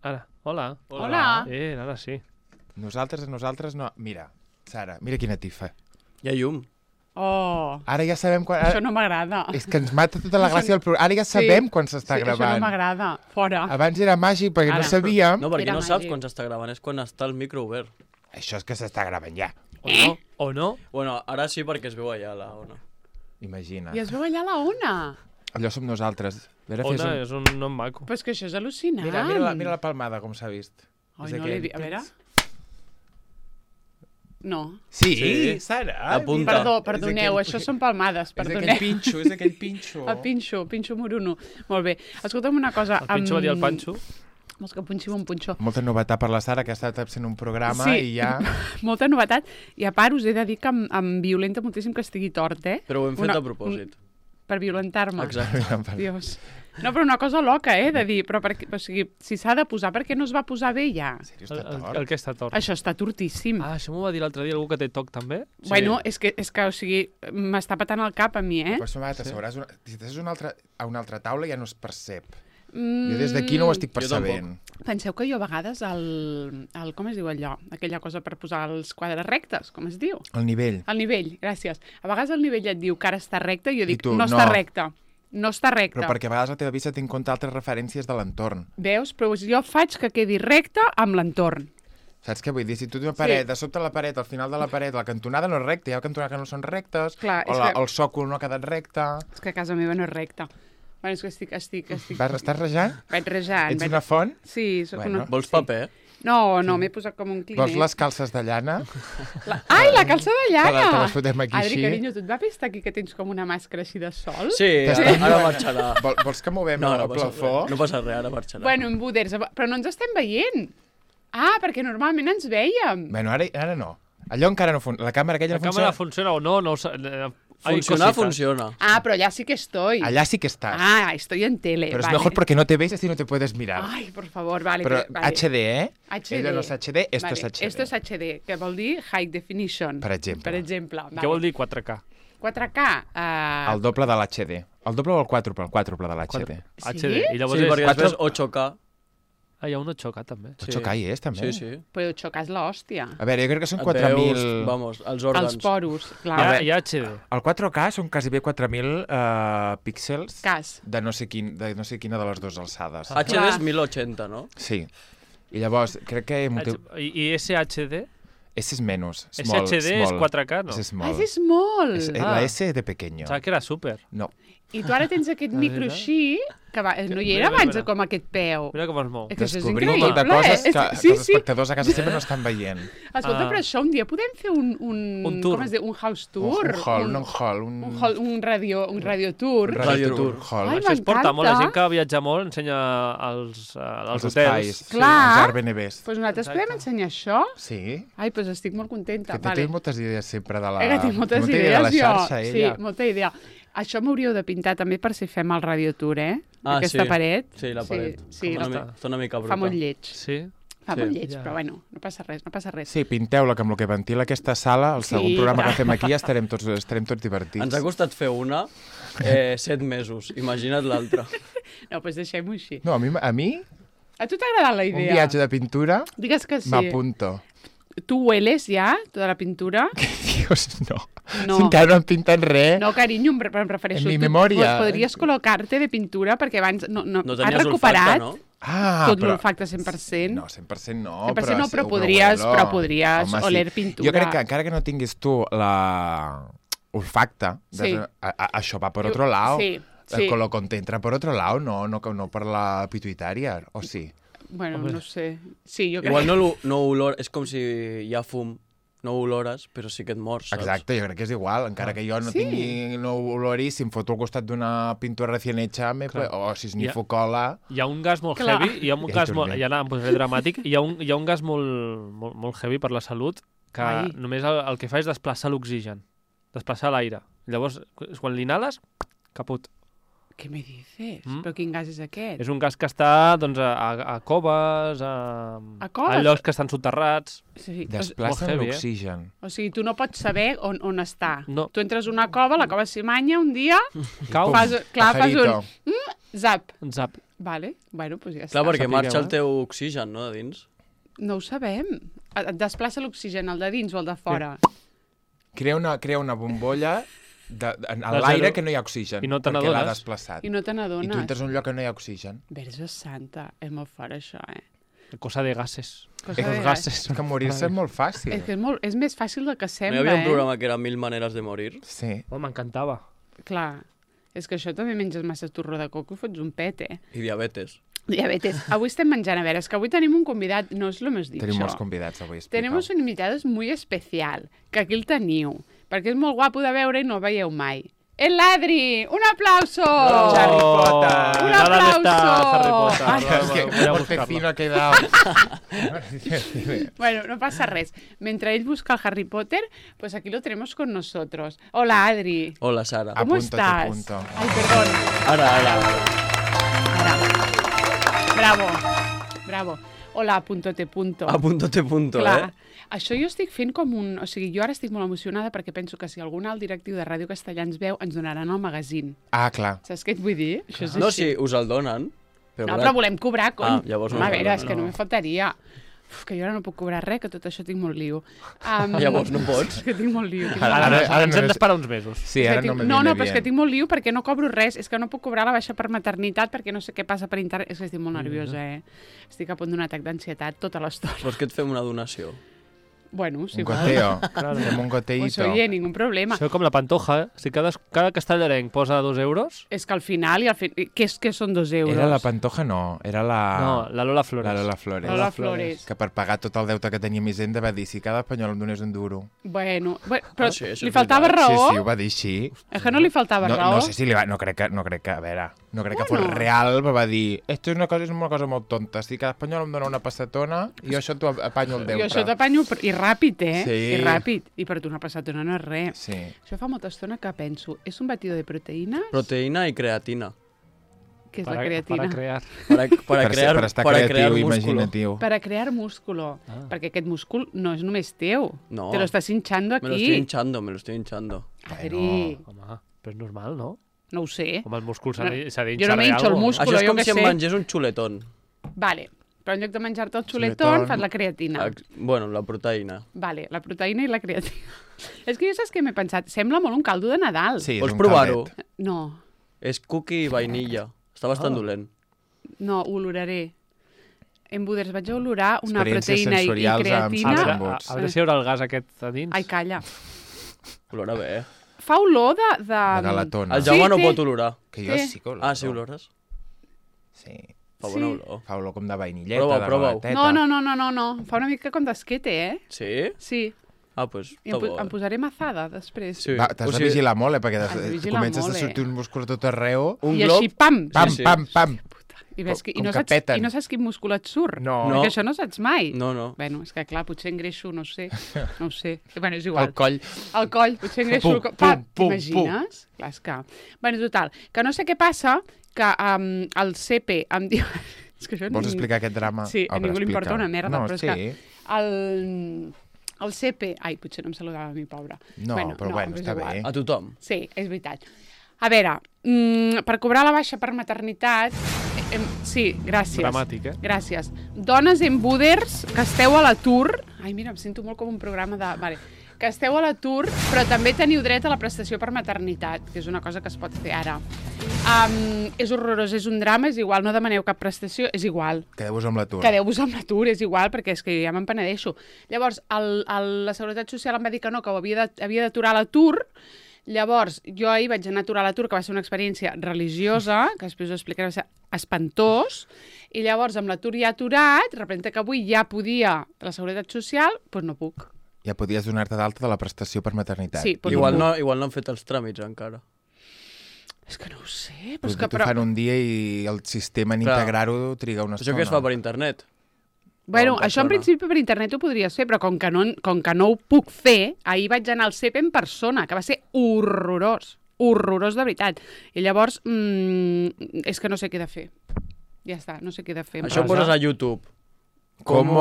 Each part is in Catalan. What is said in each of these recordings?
Ara, hola. Hola. Ara sí. Nosaltres no... Mira, Sara, mira quina tifa. Hi ha llum. Oh, Ara ja sabem quan... això no m'agrada. És que ens mata tota la gràcia del programa. Ara ja sabem quan s'està Això gravant. no m'agrada. Fora. Abans era màgic perquè no Ara. sabíem... No, perquè Era no saps màgic. quan s'està gravant, és quan està el micro obert. Això és que s'està gravant ja. O no? Bueno, ara sí perquè es veu allà la ona. Imagina. I es veu allà la ona. Allò som nosaltres. Ona és un nom maco. Però és que això és al·lucinant. Mira la palmada, com s'ha vist. Ai, És no aquell. l'he vist. A veure. No. Sí, Sí. Sara. Apunta. Perdoneu, això són palmades, És aquell perdoneu. pinxo, és aquell pinxo. El pinxo moruno. Molt bé. Escolta'm una cosa. El Pinxo va dir el Panxo. Vols que punxim un punxó? Molta novetat per la Sara, que ha estat fent un programa Sí. i ja... Molta novetat. I a part us he de dir que em violenta moltíssim que estigui tort, eh? Però ho hem fet a propòsit. Per violentar-me. Exacte. Dios. No, però una cosa loca, de dir, però o sigui, si s'ha de posar, per què no es va posar bé ja? En sèrio, està tort? El que està tort. Això està tortíssim. Ah, això m'ho va dir l'altre dia algú que té toc també. Bueno, és que, o sigui, m'està patant el cap a mi, Per això m'ha t'asseuràs... Si t'asseus a una altra taula ja no es percep. Jo Mm, des d'aquí no ho estic Jo percebent. Penseu que jo a vegades com es diu allò? Aquella cosa per posar els quadres rectes, com es diu? El nivell. El nivell, gràcies. A vegades el nivell et diu que ara està recte i jo dic, tu, no no. està recte. No està recte. Però perquè a vegades la teva vista té en compte altres referències de l'entorn. Veus? Però jo faig que quedi recte amb l'entorn. Saps què vull dir? Si tu tens una paret, de sobte la paret, al final de la paret, la cantonada no és recta, hi ha cantonades que no són rectes, Clar, o és que- el sòcol no ha quedat recte... És que a casa meva no és recte. Bueno, és que estic... Estàs rejant? Vaig rejant. Ets una font? Sí, sóc Bueno. una... Vols sí. paper? No, m'he posat com un clinet. Vols les calces de llana? Ai, la calça de llana! Te les fotem aquí Adri, així? carinyo, tu et va pestar aquí que tens com una màscara així de sol? Sí, T'estan- ara marxarà. Vols que movem No, el no passa plafó? res. No passa res, ara marxarà. Bueno, en buders, però no ens estem veient. Ah, perquè normalment ens vèiem. Bueno, ara no. Allò encara no funciona. La càmera aquella La no càmera funciona. funciona o no, no ho sé. Funcionar, funciona. Ah, però allà sí que estoy. Allà sí que estàs. Ah, estoy en tele. Pero es vale. mejor porque no te ves así no te puedes mirar. Ay, por favor, vale. Pero vale. HD, ¿eh? HD. Ella no es HD, esto vale. es HD. Esto es HD, que vol dir High Definition. Per exemple. Per exemple. Què vol dir 4K? 4K. El doble de l'HD. El doble o el quàdruple? El quàdruple de l'HD. Sí? HD. I llavors Sí, és... perquè després 8K. Ah, hi ha un 8K també. 8K hi és, també? Sí, sí. Però 8K és l'hòstia. A veure, jo crec que són Et 4.000... veus, vamos, els òrgans. Els poros, clar. Hi ha, hi ha HD. El 4K són quasi bé 4.000 píxels Cas. de no sé quina de les dues alçades. HD Clar. és 1080, no? Sí. I llavors, crec que... I SHD? Ese es menos. Small, SHD és 4K, no? Ese es Ah, small. és molt. La S de pequeño. Saps que era súper. No. I tu ara tens aquest micro veritat? així, que no hi era Mira, abans mira. com aquest peu. Mira com es mou. És que això és Descobrim increïble. un munt de coses que Sí, els sí. espectadors a casa sempre no estan veient. Escolta, Ah. però això un dia podem fer un Un tour. com es diu? Un house tour? Un radio tour. Radio tour. hall. Ai, Això es porta molt. La m'encanta. gent que viatja molt ensenya als Els hotels. espais. Clar. Els Airbnbs. Doncs nosaltres Exacte. podem ensenyar això? Sí. Ai, doncs estic molt contenta. Que tens moltes idees sempre de la... Que tinc moltes té idees, de la jo. xarxa, ella. Sí, molta idea. Això m'hauríeu de pintar també per si fem el radio tour, Ah, Aquesta sí. paret. Sí, la paret. Sí, Una sí, està una mica bruta. fa molt lleig. Sí. Fa Sí. molt lleig, Ja. però bueno, no passa res, no passa res. Sí, pinteu-la, que amb el que ventila aquesta sala, el segon Sí, programa clar. que fem aquí estarem tots divertits. Ens ha costat fer una 7 mesos. Imagina't l'altra. No, doncs deixem-ho així. No, a mi A tu t'ha agradat la un idea? viatge de pintura Digues que sí. m'apunto. Tu hueles ja, tota la pintura? Dios, no. No. Encara no han pintat res. No, carinyo, em refereixo. En mi tu memòria. Podries col·locar-te de pintura perquè abans no No has tenies recuperat olfacte, no? Ah, tot però... l'olfacte 100%. No, 100% no. 100% no, però sí, podries Home, oler pintura. Jo crec que encara que no tinguis tu la olfacte, Sí. això va per otro lado. Sí, sí. Lo entra por otro lado, no per la pituitaria, o sí? Bueno, no sé. Sí, jo crec Igual no olor... És com si hi ha fum. No olores, però sí que et mors, saps? Exacte, jo crec que és igual, encara que jo no Sí. tingui no olori, si em foto al costat d'una pintura recién hecha, o si esnifo cola... Hi ha un gas molt Clar. heavy, hi ha un Ja hi gas molt... tornem. Ja em posaré dramàtic. Hi ha un gas molt heavy per la salut que Ai. només el que fa és desplaçar l'oxigen, desplaçar l'aire. Llavors, quan l'inhales, caput. Què me dices? Mm. Però quin gas és aquest? És un gas que està doncs, a coves, a coves? llocs que estan soterrats. Sí, Desplaça molt heavy, l'oxigen. o sigui, tu no pots saber on està. No. Tu entres a una cova, la cova s'hi manya un dia, Cau, fas un Pajarito. zap. zap. Vale, bueno, doncs ja Clar, està. perquè Sapigueu, marxa el eh? teu oxigen, no, de dins? No ho sabem. Et desplaça l'oxigen, el de dins o el de fora? Crea una bombolla en De l'aire zero. que no hi ha oxigen. I no te perquè l'ha n'adones. desplaçat. I no te I tu n'adones. entres en un lloc que no hi ha oxigen. Verge santa, és molt fort això, Cosa de gases. Cosa Los de gases. És que morir-se és molt fàcil. És que és més fàcil del que No sembla, hi havia un programa que era 1000 maneres de morir? Sí. Oh, m'encantava. Clar, és que això també menges massa torró de coco i fots un pet, I diabetes. Diabetes. Avui estem menjant, a veure, és que avui tenim un convidat, no és lo més dit, Tenim molts això. convidats avui. Tenemos un invitado muy especial, que aquí el teniu, perquè és molt guapo de veure i no el veieu mai. El Adri! Un aplauso! Harry Potter! Un ¿Dónde está aplauso! Harry Potter? Ay, Es que Voy a por buscarlo. fino ha quedado. Bueno, no pasa res. Mentre ell busca el Harry Potter, pues aquí lo tenemos con nosotros. Hola, Adri. Hola, Sara. Ah, ¿Cómo Apúntate, estás? punto. Ay, perdón. Ara. Bravo. Bravo. Hola, punto-te punto. Apúntate punto, Clar, això jo estic fent com un... O sigui, jo ara estic molt emocionada perquè penso que si algun alt directiu de Ràdio Castellà ens veu, ens donaran el magazín. Ah, clar. Saps què et vull dir? Això és No, així. sí, us el donen. No, clar, però volem cobrar, cony. Ah, llavors no Home, a us veure, donen, és que no me faltaria. Uf, que jo ara no puc cobrar res, que tot això tinc molt lío. Llavors no pots. És que tinc molt lío. Tinc molt Ara, lío. ara ens no hem és- d'esperar uns mesos. Sí, És que ara tinc... no me No, viene però és que bien. tinc molt lío perquè no cobro res. És que no puc cobrar la baixa per maternitat perquè no sé què passa per internet. És que estic molt nerviosa, Estic a punt d'un atac d'ansietat tota l'estona. Vols que et fem una donació? Bueno, sí. Un goteo. Claro. Fem un Pues goteito. oye, ningún problema. Això com la Pantoja, Si cada castellarenc posa 2 euros... És que al final, què són 2 euros? Era la Pantoja, no. Era la... No, la Lola Flores. La Lola Flores. Lola Flores. Que per pagar tot el deute que tenia Hisenda va dir si cada espanyol em donés un duro. Bueno, però Ah, sí, això li és faltava veritat. raó? Sí, sí, ho va dir així. És que no li faltava No, raó? no sé si li va... No crec que, a veure, no crec que fos Bueno. real, però va dir esto és una cosa molt tonta. Si cada espanyol em dona una passatona, jo això t'ho apanyo el deute. Jo això t'apanyo i ràpid, Sí. I ràpid. I per tu una passatona no és res. Sí. Això fa molta estona que penso. És un batido de proteïnes? Proteïna i creatina. Què és la creatina? Para crear. Per estar para creatiu crear i músculo. imaginatiu. Para crear músculo. Perquè aquest múscul no és només teu. No. Te lo estás hinchando Me lo estoy aquí. hinchando, me lo estoy hinchando. Adri, Home, però és normal, no? no ho sé. Com el múscul s'ha No, d'hinxar jo no m'hinxo el múscul. Això és jo com què si em sé. mengés un xuletón. Vale, però en lloc de menjar-te el Xuletón. xuletón, fas la creatina. Bueno, la proteïna. Vale, la proteïna i la creatina. És que jo saps què m'he pensat? Sembla molt un caldo de Nadal. Sí, és Vols un provar-ho? caldet. No, És cookie i vainilla. Està bastant dolent. no, ho oloraré. En Buders vaig a olorar una Experiències proteïna i sensorials amb creatina. salsa. A veure si hi haurà el gas aquest a dins. Ai, calla. Olora bé, Fa olor de... De galatona. El Jaume no té. pot olorar. Que jo Sí. sí que oloro. Ah, sí, olores? Sí. Fa Sí. bona olor. Fa olor com de vainilleta, Prova-ho, de prova-ho. galateta. No. Fa una mica com d'esquete, Sí? Sí. Ah, doncs I està bo. em posaré mazada després. Sí. Va, t'has O de sigui, vigilar molt, perquè Has de vigilar comences molt, a sortir eh? un múscul a tot arreu. Un I glob... així, pam! Pam, sí. pam, pam. I, ves que, Com que peten. I no saps quin múscul et surt. No. No. Perquè això no saps mai. No, no. Bueno, és que clar, potser engreixo, no ho sé. Bueno, és igual. El coll. El coll, potser engreixo Pum, el coll. pum, pum, T'imagines? Clar, és que... Bueno, total, que no sé què passa, que el CP em diu... és que això Vols ningú- explicar aquest drama? Sí, a ningú li importa una merda, no, però és sí. que el CP... Ai, potser no em saludava a mi, pobra. No, però bueno, és està igual. bé. A tothom. Sí, és veritat. A veure, per cobrar la baixa per maternitat... sí, gràcies. Dramàtic, eh? Gràcies. Dones en Buders, que esteu a l'atur... Ai, mira, em sento molt com un programa de... Vale. Que esteu a l'atur, però també teniu dret a la prestació per maternitat, que és una cosa que es pot fer ara. És horrorós, és un drama, és igual, no demaneu cap prestació, és igual. Quedeu-vos amb l'atur. Quedeu-vos amb l'atur, és igual, perquè és que ja me'n penedeixo. Llavors, la Seguretat Social em va dir que no, que ho havia d'aturar l'atur. Llavors, jo ahir vaig anar a aturar l'atur, que va ser una experiència religiosa, que després ho explicaré, va ser espantós, i llavors amb l'atur ja aturat, representa que avui ja podia la Seguretat Social, doncs no puc. Ja podies donar-te d'alta de la prestació per maternitat. Sí, però Igual no no han fet els tràmits encara. És que no ho sé, però Però és que... t'ho fan un dia i el sistema en Clar. integrar-ho triga una estona. Això que es fa per internet. Bueno, o en això en persona. principi per internet ho podries fer, però com que no ho puc fer, ahir vaig anar al CEP en persona, que va ser horrorós, horrorós de veritat. I llavors, és que no sé què he de fer. Ja està, no sé què he de fer. Això ho poses a YouTube. Com...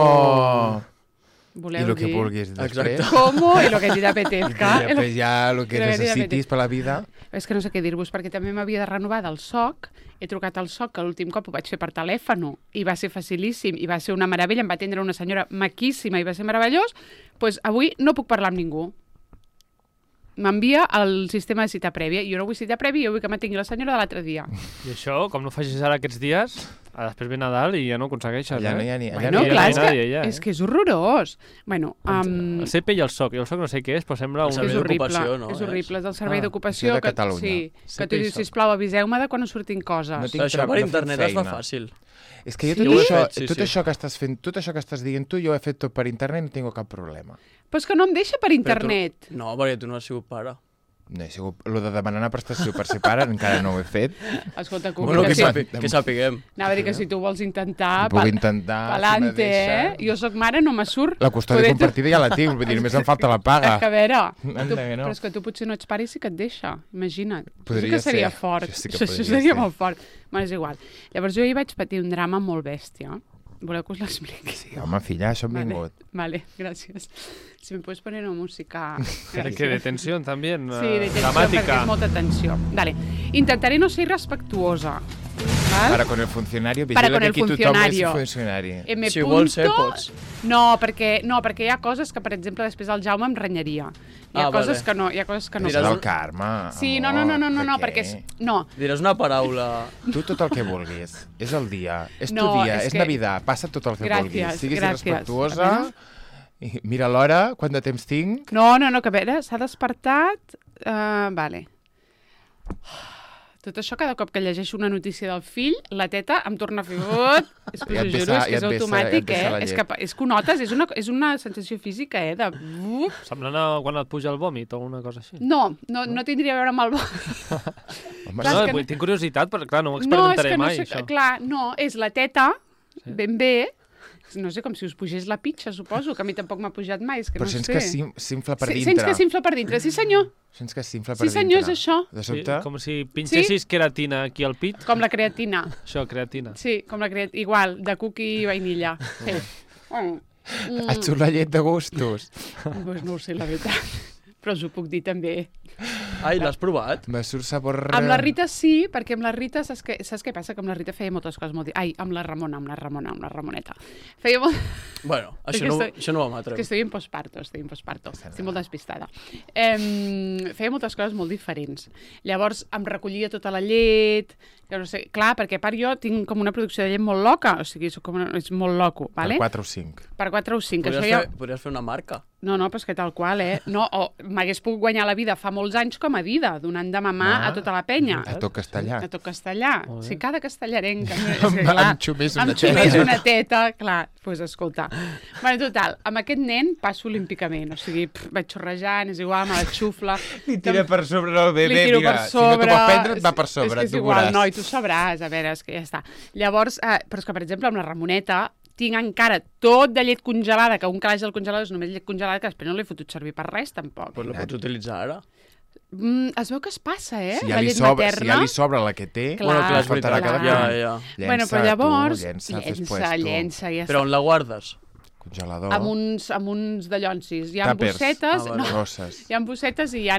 voleu I el que dir. vulguis després. Exacte. Como y lo que te apetezca. I després ja el que Lo que necessitis per la vida. És que no sé què dir-vos, perquè també m'havia de renovar del SOC. He trucat al SOC, que l'últim cop ho vaig fer per telèfon, i va ser facilíssim, i va ser una meravella, em va atendre una senyora maquíssima i va ser meravellós. Doncs avui no puc parlar amb ningú. M'envia el sistema de cita prèvia. Jo no vull cita prèvia, jo vull que m'atingui la senyora de l'altre dia. I això, com no facis ara aquests dies, després ve Nadal i ja no ho aconsegueixes, Allà no hi ha ni... Allà Bueno, no hi ha clar, ni... és que, nadie, ja, és que és horrorós. Bueno, El CP i el SOC. I el SOC no sé què és, però sembla El un... és servei horrible, d'ocupació, no? és horrible. És del servei Ah, d'ocupació. això de Catalunya. Sí, que CP tu i dius, SOC. sisplau, aviseu-me de quan us surtin coses. No tinc Això per no fem internet es fa feina. fàcil. És que jo Sí? tot, Jo ho he això, fet, sí, tot sí. això que estàs fent, tot això que estàs dient tu, jo ho he fet tot per internet i no tinc cap problema. Però és que no em deixa per Però internet. No, perquè tu no has sigut pare. No he sigut... Lo de demanar una prestació per ser pare encara no ho he fet. Escolta, Bueno, que que, si... que sapiguem. Anava a dir que si tu vols intentar... Puc intentar, Palante, si me deixa. Jo sóc mare, no me surt. La custòdia Poder- compartida ja la tinc, vull dir, només em falta la paga. És que a veure, Anda tu, que no. però és que tu potser no ets pare i sí que et deixa, imagina't. Podria Això sí que seria ser. fort. Això sí que Això podria seria ser. molt fort. Bueno, és igual. Llavors jo hi vaig patir un drama molt bèstia. Voleu que us l'expliqui? Sí, home, filla, això hem vingut. Vale, gràcies. Si me puedes poner una música... Que de tensió, també. Sí, de tensió, Dramàtica. perquè és molta tensió. Vale. Intentaré no ser irrespectuosa. Val? Para con el funcionario, Para vigila con que el aquí tothom és funcionario. funcionari. M. Si vols ser, punto- pots. No, perquè hi ha coses que, per exemple, després el Jaume em renyaria. Hi ha Ah, coses vale. que no, hi ha coses que no. Això Diràs- del Carme, Sí, amor, no, de perquè... què? No, Diràs una paraula... Tu tot el que vulguis. És el dia, és tu No, dia, és és que- Navidad, passa tot el que Gràcies, vulguis. Siguis gràcies. respectuosa, i mira l'hora, quant de temps tinc. no, que a veure, s'ha despertat... Vale. Tot això, cada cop que llegeixo una notícia del fill, la teta em torna a fer... És que Ja us ho et juro, és que és ja et vessa automàtic, la És llet. que ho notes, és una sensació física, de... Semblant a quan et puja el vòmit o una cosa així. No tindria a veure amb el... Home, Clar, No, és que tinc curiositat, però clar, no ho No, és experimentaré que no mai, sé... això. Clar, no, és la teta, Sí. ben bé, no sé, com si us pugés la pitxa, suposo, que a mi tampoc m'ha pujat mai, és que però no sents sé. que s'infla per dintre. Sents que s'infla per dintre, sí senyor. Sents que s'infla Sí per dintre. senyor, és això. De Sí, sobte, com si pinxessis queratina aquí al pit. Com la creatina. Això, creatina. Sí, com la creatina. Igual, de cookie i vainilla. Sí. et surt la llet de gustos. Pues no ho sé, la veritat. Però us ho puc dir també. Ai, l'has provat? Me surt sabor... Amb la Rita sí, perquè amb la Rita, saps què passa? Que amb la Rita feia moltes coses molt... Ai, amb la Ramoneta. Feia molt... Bueno, És això que no ho És matrem. que estoy en posparto. Estic molt despistada. Feia moltes coses molt diferents. Llavors em recollia tota la llet, que no sé, clar, perquè a part jo tinc com una producció de llet molt loca, o sigui, és molt loco, vale? Per 4 o 5. Per 4 o 5. Això ja... Podries fer una marca. No, però és que tal qual, No, o m'hagués pogut guanyar la vida fa molts anys com a vida, donant de mamar a tota la penya. A tot castellà. A tot castellà. Molt bé. Sí, cada castellarenc. Em xumés una Em xumés teta. una teta, clar. Doncs pues, escolta. Bueno, total, amb aquest nen passo olímpicament. O sigui, vaig xorrejant, és igual, me la xufla. Li tira per sobre el bebè, Li tiro mira. per sobre. Si no t'ho pot prendre, et va per sobre, És que és tu igual, veuràs. noi, tu sabràs. A veure, és que ja està. Llavors, però és que, per exemple, amb la Ramoneta, tinc encara tot de llet congelada, que un calaix del congelador és només llet congelada, que després no l'he fotut servir per res, tampoc. Pues la pots utilitzar ara. Es veu que es passa, Si la ja, li llet sobra, materna. si ja li sobra la que té, Clar. Bueno, clar, es faltarà cada clar. punt. Ja. Llença, Bueno, però llavors, tu, llença, llença, ja Però on la guardes? Congelador. amb uns dallonsis. Hi ha Tàpers. bossetes, Ah, vale. no, Grosses. hi ha bossetes i hi ha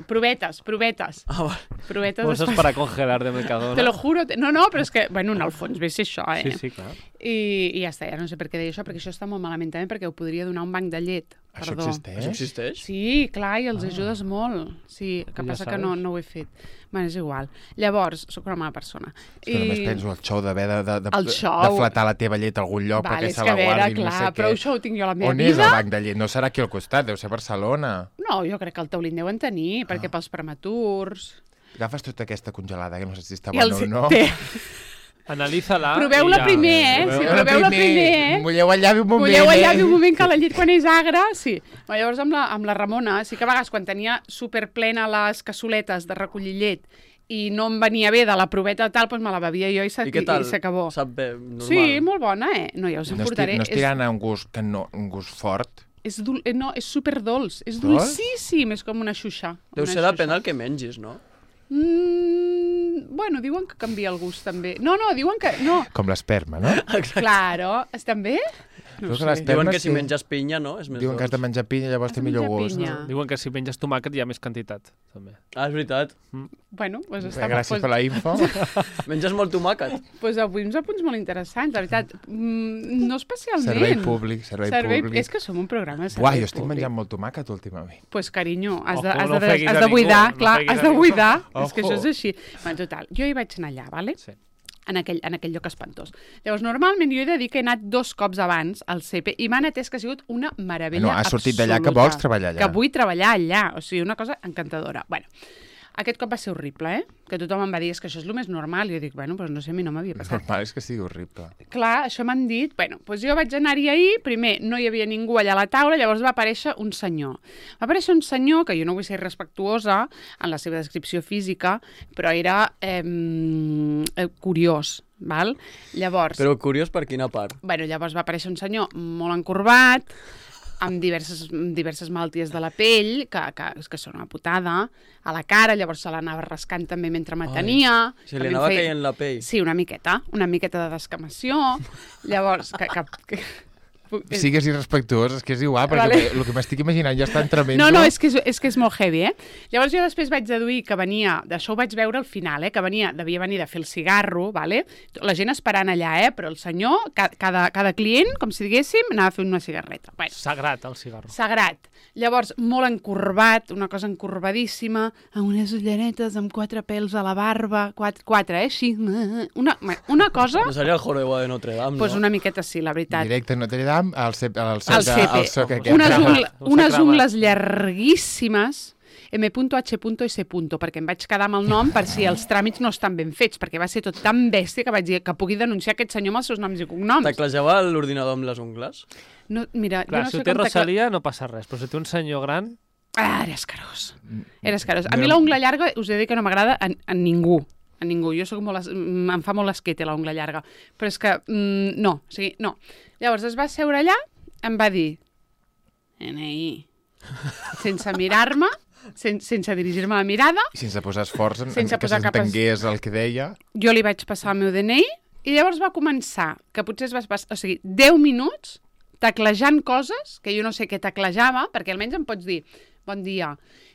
provetes. Ah, vale. Provetes Cosas para congelar de Mercadona. Te lo juro. No, però és que, bueno, en el fons ve ser això, Sí, sí, clar. I ja està, ja no sé per què deia això, perquè això està molt malament també, perquè ho podria donar un banc de llet. Això Perdó. existeix? Això existeix? Sí, clar, i els ajudes molt. Sí, el que Ja passa que sabes. no ho he fet. Bueno, és igual. Llavors, sóc una mala persona. És que només penso el xou d'haver El xou. de flatar la teva llet a algun lloc Vale, perquè és se que la a veure, guardin, clar, no sé però què. això ho tinc jo a la meva On és vida. el banc de llet? No serà aquí al costat, deu ser a Barcelona. No, jo crec que el taulín deuen tenir, perquè pels prematurs... Agafes tota aquesta congelada, que no sé si està I bona els... o no. Analízala. Proveu-la i ja- primer, sí, proveu-la primer. Mulleu el llavi un moment, Mulleu el llavi un moment, que la llet quan és agra, sí. Però llavors amb la Ramona, sí que a vegades quan tenia superplena les cassoletes de recollir llet i no em venia bé de la proveta tal, doncs me la bevia jo I què tal? s'acabó. Sap bé, normal. Sí, molt bona, No, ja us en No portaré. estic tirant a un gust, un gust fort. No, és superdolç. És Dolç? dolcíssim, és com una xuxa. Deu una ser depèn xuxa. del que mengis, no? Bueno, diuen que canvia el gust també. No, diuen que... No, Com l'esperma, no? claro. Estan bé? Diuen que les Diuen perles, que si menges pinya, no? És més Diuen que has de dolç. menjar pinya, llavors Has té de millor menjar gust. pinya. Diuen que si menges tomàquet hi ha més quantitat, també. Ah, és veritat. Bueno, doncs Bé, està... gràcies per la info. Menges molt tomàquet. Pues avui uns apunts molt interessants, la veritat. No especialment. Servei públic, servei públic. És que som un programa de servei Buah, jo estic públic. menjant molt tomàquet últimament. Pues, carinyo, has Ojo, de, has no de, ofeguis has a de ningú, buidar, no clar, ofeguis has a de ningú. buidar. És Ojo. que això és així. Bueno, total, jo hi vaig anar allà, vale? Sí. En aquell lloc espantós. Llavors, normalment jo he de dir que he anat 2 cops abans al CP i m'han atès que ha sigut una meravella No, has sortit absoluta. d'allà que vols treballar allà. Que vull treballar allà, o sigui, una cosa encantadora. Bueno, aquest cop va ser horrible, que tothom em va dir és que això és el més normal, i jo dic, bueno, doncs no sé, a mi no m'havia passat. Normal és que sigui horrible. Clar, això m'han dit, bueno, doncs jo vaig anar-hi ahir, primer no hi havia ningú allà a la taula, llavors va aparèixer un senyor. Va aparèixer un senyor, que jo no vull ser respectuosa en la seva descripció física, però era curiós, val? Llavors, Però curiós per quina part? bueno, llavors va aparèixer un senyor molt encorbat, amb diverses malalties de la pell, que són una putada, a la cara, llavors se l'anava rascant també mentre m'atenia. Se li anava caient la pell. Sí, una miqueta de descamació. Llavors, Sigues irrespectuós, és que és igual, perquè Vale. el que m'estic imaginant ja està tremendo. No, és que és molt heavy, Llavors jo després vaig deduir que venia, d'això ho vaig veure al final, que devia venir de fer el cigarro, vale? La gent esperant allà, però el senyor, cada client, com si diguéssim, anava a fer una cigarreta. Bueno, Sagrat, el cigarro. sagrat. Llavors, molt encorbat, una cosa encorbadíssima, amb unes ulleretes, amb 4 pèls a la barba, 4 així. Una cosa, No seria el jorobado de Notre Dame, doncs no? una miqueta sí, la veritat. Directe a Notre Dame, al soc aquest. Unes, Cremat, unes cremat. ungles llarguíssimes, M.H.S. perquè em vaig quedar amb el nom per si els tràmits no estan ben fets, perquè va ser tot tan bèstia que vaig dir que pugui denunciar aquest senyor amb els seus noms i cognoms. Teclejava l'ordinador amb les ungles? No, mira, Clar, jo no si sé ho té com Rosalia no passa res, però si té un senyor gran... Era escarós. Era escarós. A mi la ungla llarga us he de dir que no m'agrada a ningú. A ningú. Jo soc molt... Em fa molt l'esquete la ungla llarga. Però és que no. O sigui, no. Llavors es va seure allà, em va dir NI. Sense mirar-me, sense dirigir-me la mirada, I sense posar esforç Sense que posar cap s'entengués el que deia. jo li vaig passar el meu DNI i llavors va començar, que potser es va passar, o sigui, 10 minuts teclejant coses que jo no sé què teclejava, perquè almenys em pots dir, bon dia,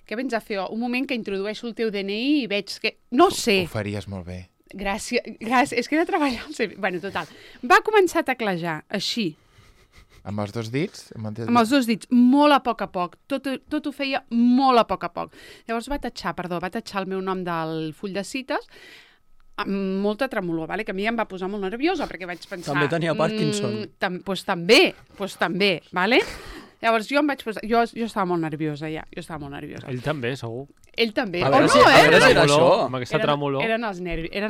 què vens a fer? Un moment que introdueixo el teu DNI i veig que... No sé. Ho faries molt bé. Gràcies. És que he de treballar al CV. Bueno, total. Va començar a teclejar, així, Amb els 2 dits? amb els 2 dits, molt a poc. Tot ho feia molt a poc. Llavors va tatxar el meu nom del full de cites amb molta tremolor, vale? Que a mi em va posar molt nerviosa, perquè vaig pensar... També tenia Parkinson. Doncs també, vale? Llavors jo em vaig posar... Jo estava molt nerviosa, ja. Ell també, segur. Ell també. A O veure no, si- a veure si era Tremolor, això. Amb aquesta tremolor. eren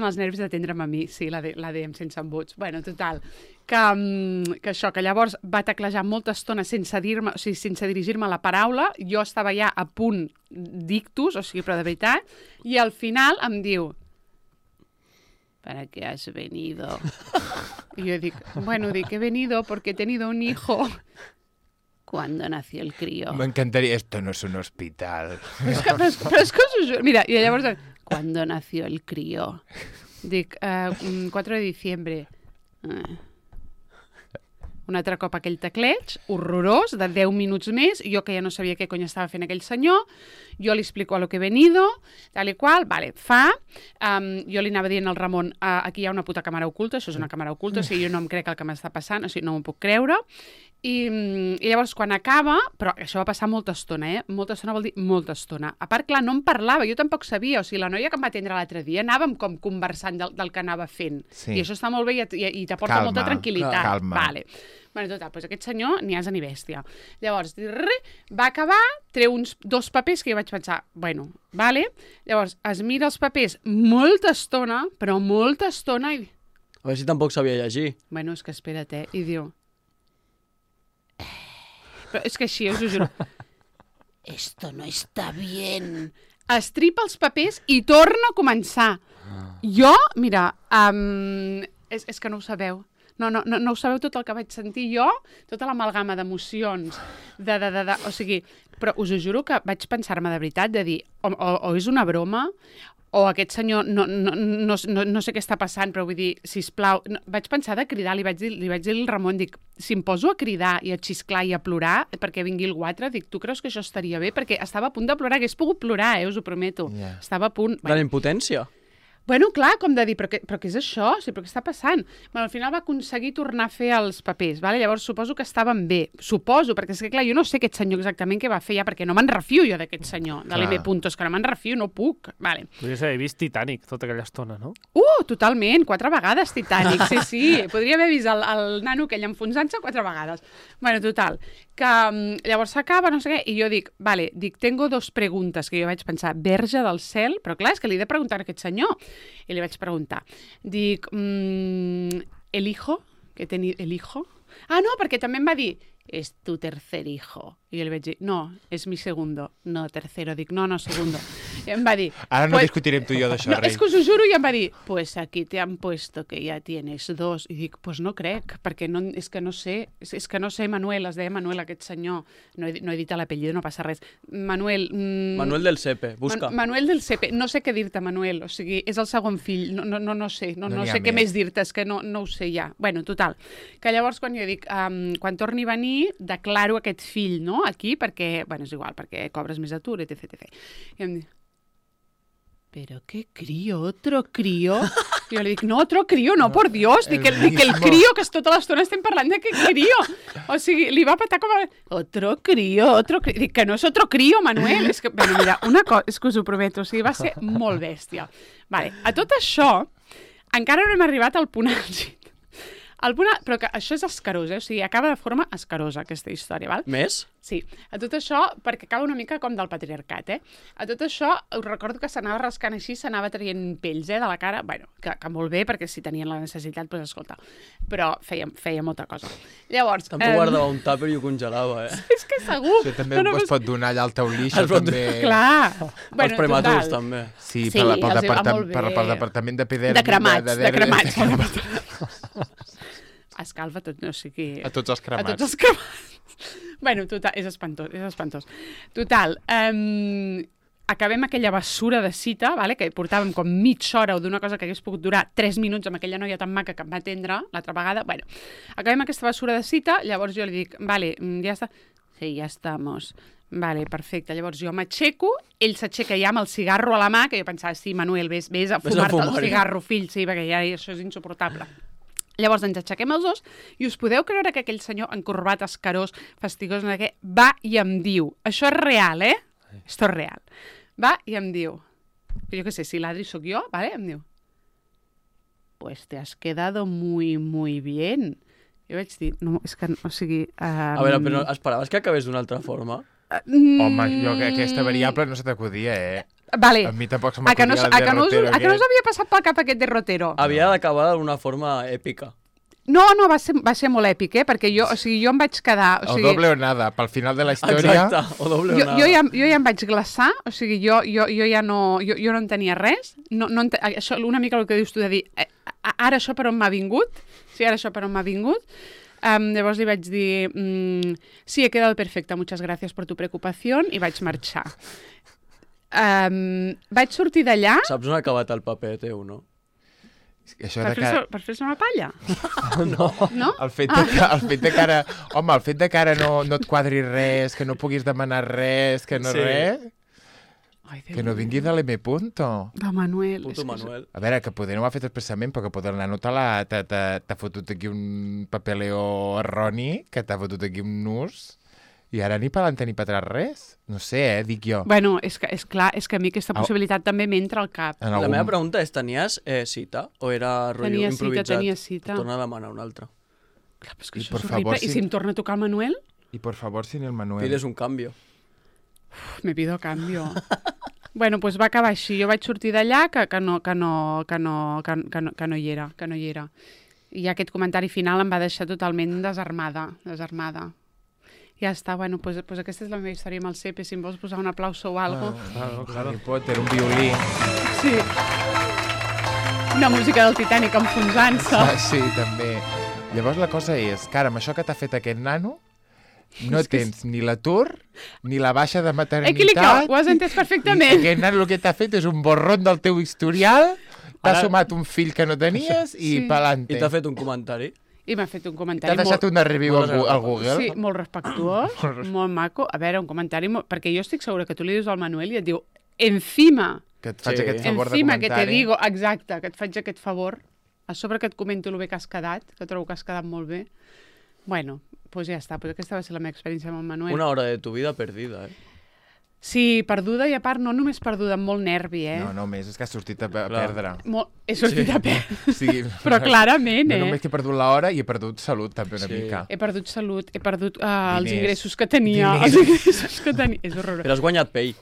els nervis d'atendre'm a mi, sí, la DM sense embuts. Bueno, total, que llavors va teclejar molta estona sense dirigir-me la paraula, jo estava ja a punt d'ictus, o sigui, però de veritat, i al final em diu ¿para qué has venido? Y yo digo, he venido porque he tenido un hijo. ¿Cuándo nació el crío? M'encantaria. Esto no és un hospital. Però és que us ho juro. Mira, i llavors, ¿cuándo nació el crío? Dic, 4 de diciembre. Un altre cop aquell tecleig, horrorós, de 10 minuts més, jo que ja no sabia què cony estava fent aquell senyor, jo li explico a lo que he venido, tal i qual, vale, jo li anava dient al Ramon, aquí hi ha una puta càmera oculta, això és una càmera oculta, o sigui, jo no em crec el que m'està passant, o sigui, no m'ho puc creure, i llavors quan acaba, però això va passar molta estona, molta estona vol dir molta estona. A part, clar, no em parlava, jo tampoc sabia, o sigui, la noia que em va atendre l'altre dia anàvem com conversant del que anava fent, Sí. i això està molt bé i t'aporta molta tranquil·litat. calma. Vale. Bueno, total, doncs aquest senyor ni asa ni bèstia. Llavors, va acabar, treu 2 papers que jo vaig pensar, bueno, vale. Llavors, es mira els papers molta estona, però molta estona, i... A veure si tampoc sabia llegir. Bueno, és que espera't, i diu... Però és que així, us ho juro. Esto no está bien. Estripa els papers i torna a començar. Jo, mira, és que no ho sabeu. No ho sabeu tot el que vaig sentir jo, tota l'amalgama d'emocions, o sigui, Però us ho juro que vaig pensar-me de veritat, de dir, o és una broma, o aquest senyor no sé què està passant, però vull dir, sisplau, vaig pensar de cridar, li vaig dir al Ramon, dic, si em poso a cridar i a xisclar i a plorar perquè vingui el guatre, dic, tu creus que això estaria bé? Perquè estava a punt de plorar, hagués pogut plorar, us ho prometo. Yeah. Estava a punt... De la impotència? Bueno, clar, com de dir, però què és això? Sí, però què està passant? Bueno, al final va aconseguir tornar a fer els papers, vale? Llavors suposo que estaven bé. Suposo, perquè és que, clar, jo no sé aquest senyor exactament què va fer ja, perquè no me'n refio jo d'aquest senyor, de l'M. Puntos, que no me'n refio, no puc. Vale. Podries haver vist Titanic tota aquella estona, no? Totalment, 4 vegades Titanic, sí. Podria haver vist el nano aquell enfonsant-se 4 vegades. Bueno, total, que llavors s'acaba, no sé què, i jo dic, tengo 2 preguntes, que jo vaig pensar, verge del cel, però clar, és que li he de preguntar a aquest senyor. I li vaig preguntar. Dic, ¿el hijo? ¿El hijo? Ah, no, perquè també em va dir, es tu tercer hijo. I jo li vaig dir, no, es mi segundo. No, tercero. Dic, no, segundo. I em va dir... Ara no discutirem tu i jo d'això, no, rei. és que us ho juro, i em va dir, pues aquí te han puesto que ya tienes 2. I dic, pues no crec, perquè no, és que no sé, Manuel, es deia Manuel, aquest senyor. No he dit l'apellido, no passa res. Manuel... Manuel del Sepe, busca. Manuel del Sepe, no sé què dir-te, Manuel, o sigui, és el segon fill, no sé, no sé què més dir-te, és que no ho sé ja. Bueno, total, que llavors quan jo dic, quan torni a venir, declaro aquest fill, no?, aquí, perquè, bueno, és igual, perquè cobres més atur, etc. I em diu, ¿pero qué crío? ¿Otro crío? I jo li dic, no, otro crío, no, por Dios. Dic el crío, que tota l'estona estem parlant de que crío. O sigui, li va patar com a... Otro crío. Dic que no és otro crío, Manuel. És que, bueno, mira, una cosa, és que us ho prometo, o sigui, va ser molt bèstia. Vale, a tot això, encara no hem arribat al punt àlgid. Però que això és escarós, o sigui, acaba de forma escarosa, aquesta història, val? Més? Sí, a tot això, perquè acaba una mica com del patriarcat, A tot això, us recordo que s'anava rascant així, s'anava traient pells, de la cara, bueno, que molt bé, perquè si tenien la necessitat, doncs escolta, però feia molta cosa. Llavors... També guardava un tàper i ho congelava, És que segur! Això també es pot donar allà al teu lixo, també... Clar! Els prematurs, també. Sí, pel departament de pedèrmia... De cremats. Escalfa tot, no sé què... A tots els cremats. A tots els cremats. Bueno, total, és espantós. Total, acabem aquella bessura de cita, vale? Que portàvem com mitja hora o d'una cosa que hagués pogut durar 3 minuts amb aquella noia tan maca que em va atendre l'altra vegada. Bueno, acabem aquesta bessura de cita, llavors jo li dic, vale, ja està... Sí, ja estamos. Vale, perfecte. Llavors jo m'aixeco, ell s'aixeca ja amb el cigarro a la mà, que jo pensava, sí, Manuel, vés a fumar-te el cigarro, fill, sí, perquè ja això és insuportable. Llavors ens aixequem els dos i us podeu creure que aquell senyor encorbat, escarós, fastigós, va i em diu, això és real, Esto és real. Va i em diu, jo què sé, si l'Adri sóc jo, vale? Em diu, pues te has quedado muy, muy bien. Jo vaig dir, no, és que, o sigui... A veure, però esperaves que acabés d'una altra forma? Home, jo que aquesta variable no se t'acudia, Vale. A mi tampoc se m'acudia el derrotero. A que no us havia passat pel cap aquest derrotero? Havia d'acabar d'una forma èpica. No, va ser molt èpic, perquè jo em vaig quedar... O doble o nada, pel final de la història... Exacte, o doble o nada. Jo ja em vaig glaçar, o sigui, jo ja no... Jo no en tenia res. Això, una mica el que dius tu de dir, ara això per on m'ha vingut? Sí, ara això per on m'ha vingut? Llavors li vaig dir, sí, he quedado perfecta, muchas gracias por tu preocupación, i vaig marxar. Vaig sortir d'allà... Saps on ha acabat el paper teu, no? Per fer-se una palla? No. El fet de que ara... Home, el fet de que ara no et quadri res, que no puguis demanar res, que no res... Ai, que no vingui de l'M. Punto. De Manuel. Puto Manuel. A veure, que poder no ho ha fet expressament, però que poder el nano t'ha fotut aquí un papeleo erroni, que t'ha fotut aquí un nus, i ara ni per l'altre ni per atrás res. No sé, dic jo. Bueno, és clar, és que a mi aquesta possibilitat també m'entra al cap. La meva pregunta és, tenies cita o era rotllo improvisat? Tenia cita. Torna a demanar una altra. Clar, però és que això és horrible. I si em torna a tocar el Manuel? I por favor, sin el Manuel. Pides un cambio. Me pido cambio. Bueno, doncs va acabar així. Jo vaig sortir d'allà que no hi era. I aquest comentari final em va deixar totalment desarmada. Ja està, bueno, doncs aquesta és la meva història amb el Sepe, si em vols posar un aplauso o algo. Claro. Harry Potter, un violí. Sí. Una música del Titanic enfonsant-se. Sí, també. Llavors la cosa és que ara, amb això que t'ha fet aquest nano, no tens ni l'atur, ni la baixa de Equilicat, maternitat... ho has entès I perfectament. aquest nen el que t'ha fet és un borrón del teu historial, t'ha Ara- sumat un fill que no tenies i Sí. pa'lante. I t'ha fet un comentari. I m'ha fet un T'ha comentari deixat una review molt al Google. Sí, molt respectuós, molt maco. A veure, un comentari... Perquè jo estic segura que tu li dius al Manuel i et diu encima, Que et faig Sí. aquest favor de encima que te comentari. digo, exacte, que et faig aquest favor, a sobre que et comento el bé que has quedat, que trobo que has quedat molt bé. Bueno, doncs ja està, aquesta va ser la meva experiència amb el Manuel. Una hora de tu vida perdida, Sí, perduda i a part no només perduda, amb molt nervi, No, només és que has sortit a perdre. He sortit a perdre. Sí. Però clarament, No només que he perdut l'hora i he perdut salut també una Sí. mica. He perdut salut, he perdut els Diners. ingressos que tenia. Diners. Els ingressos que tenia. És horrorós. Però has guanyat pell.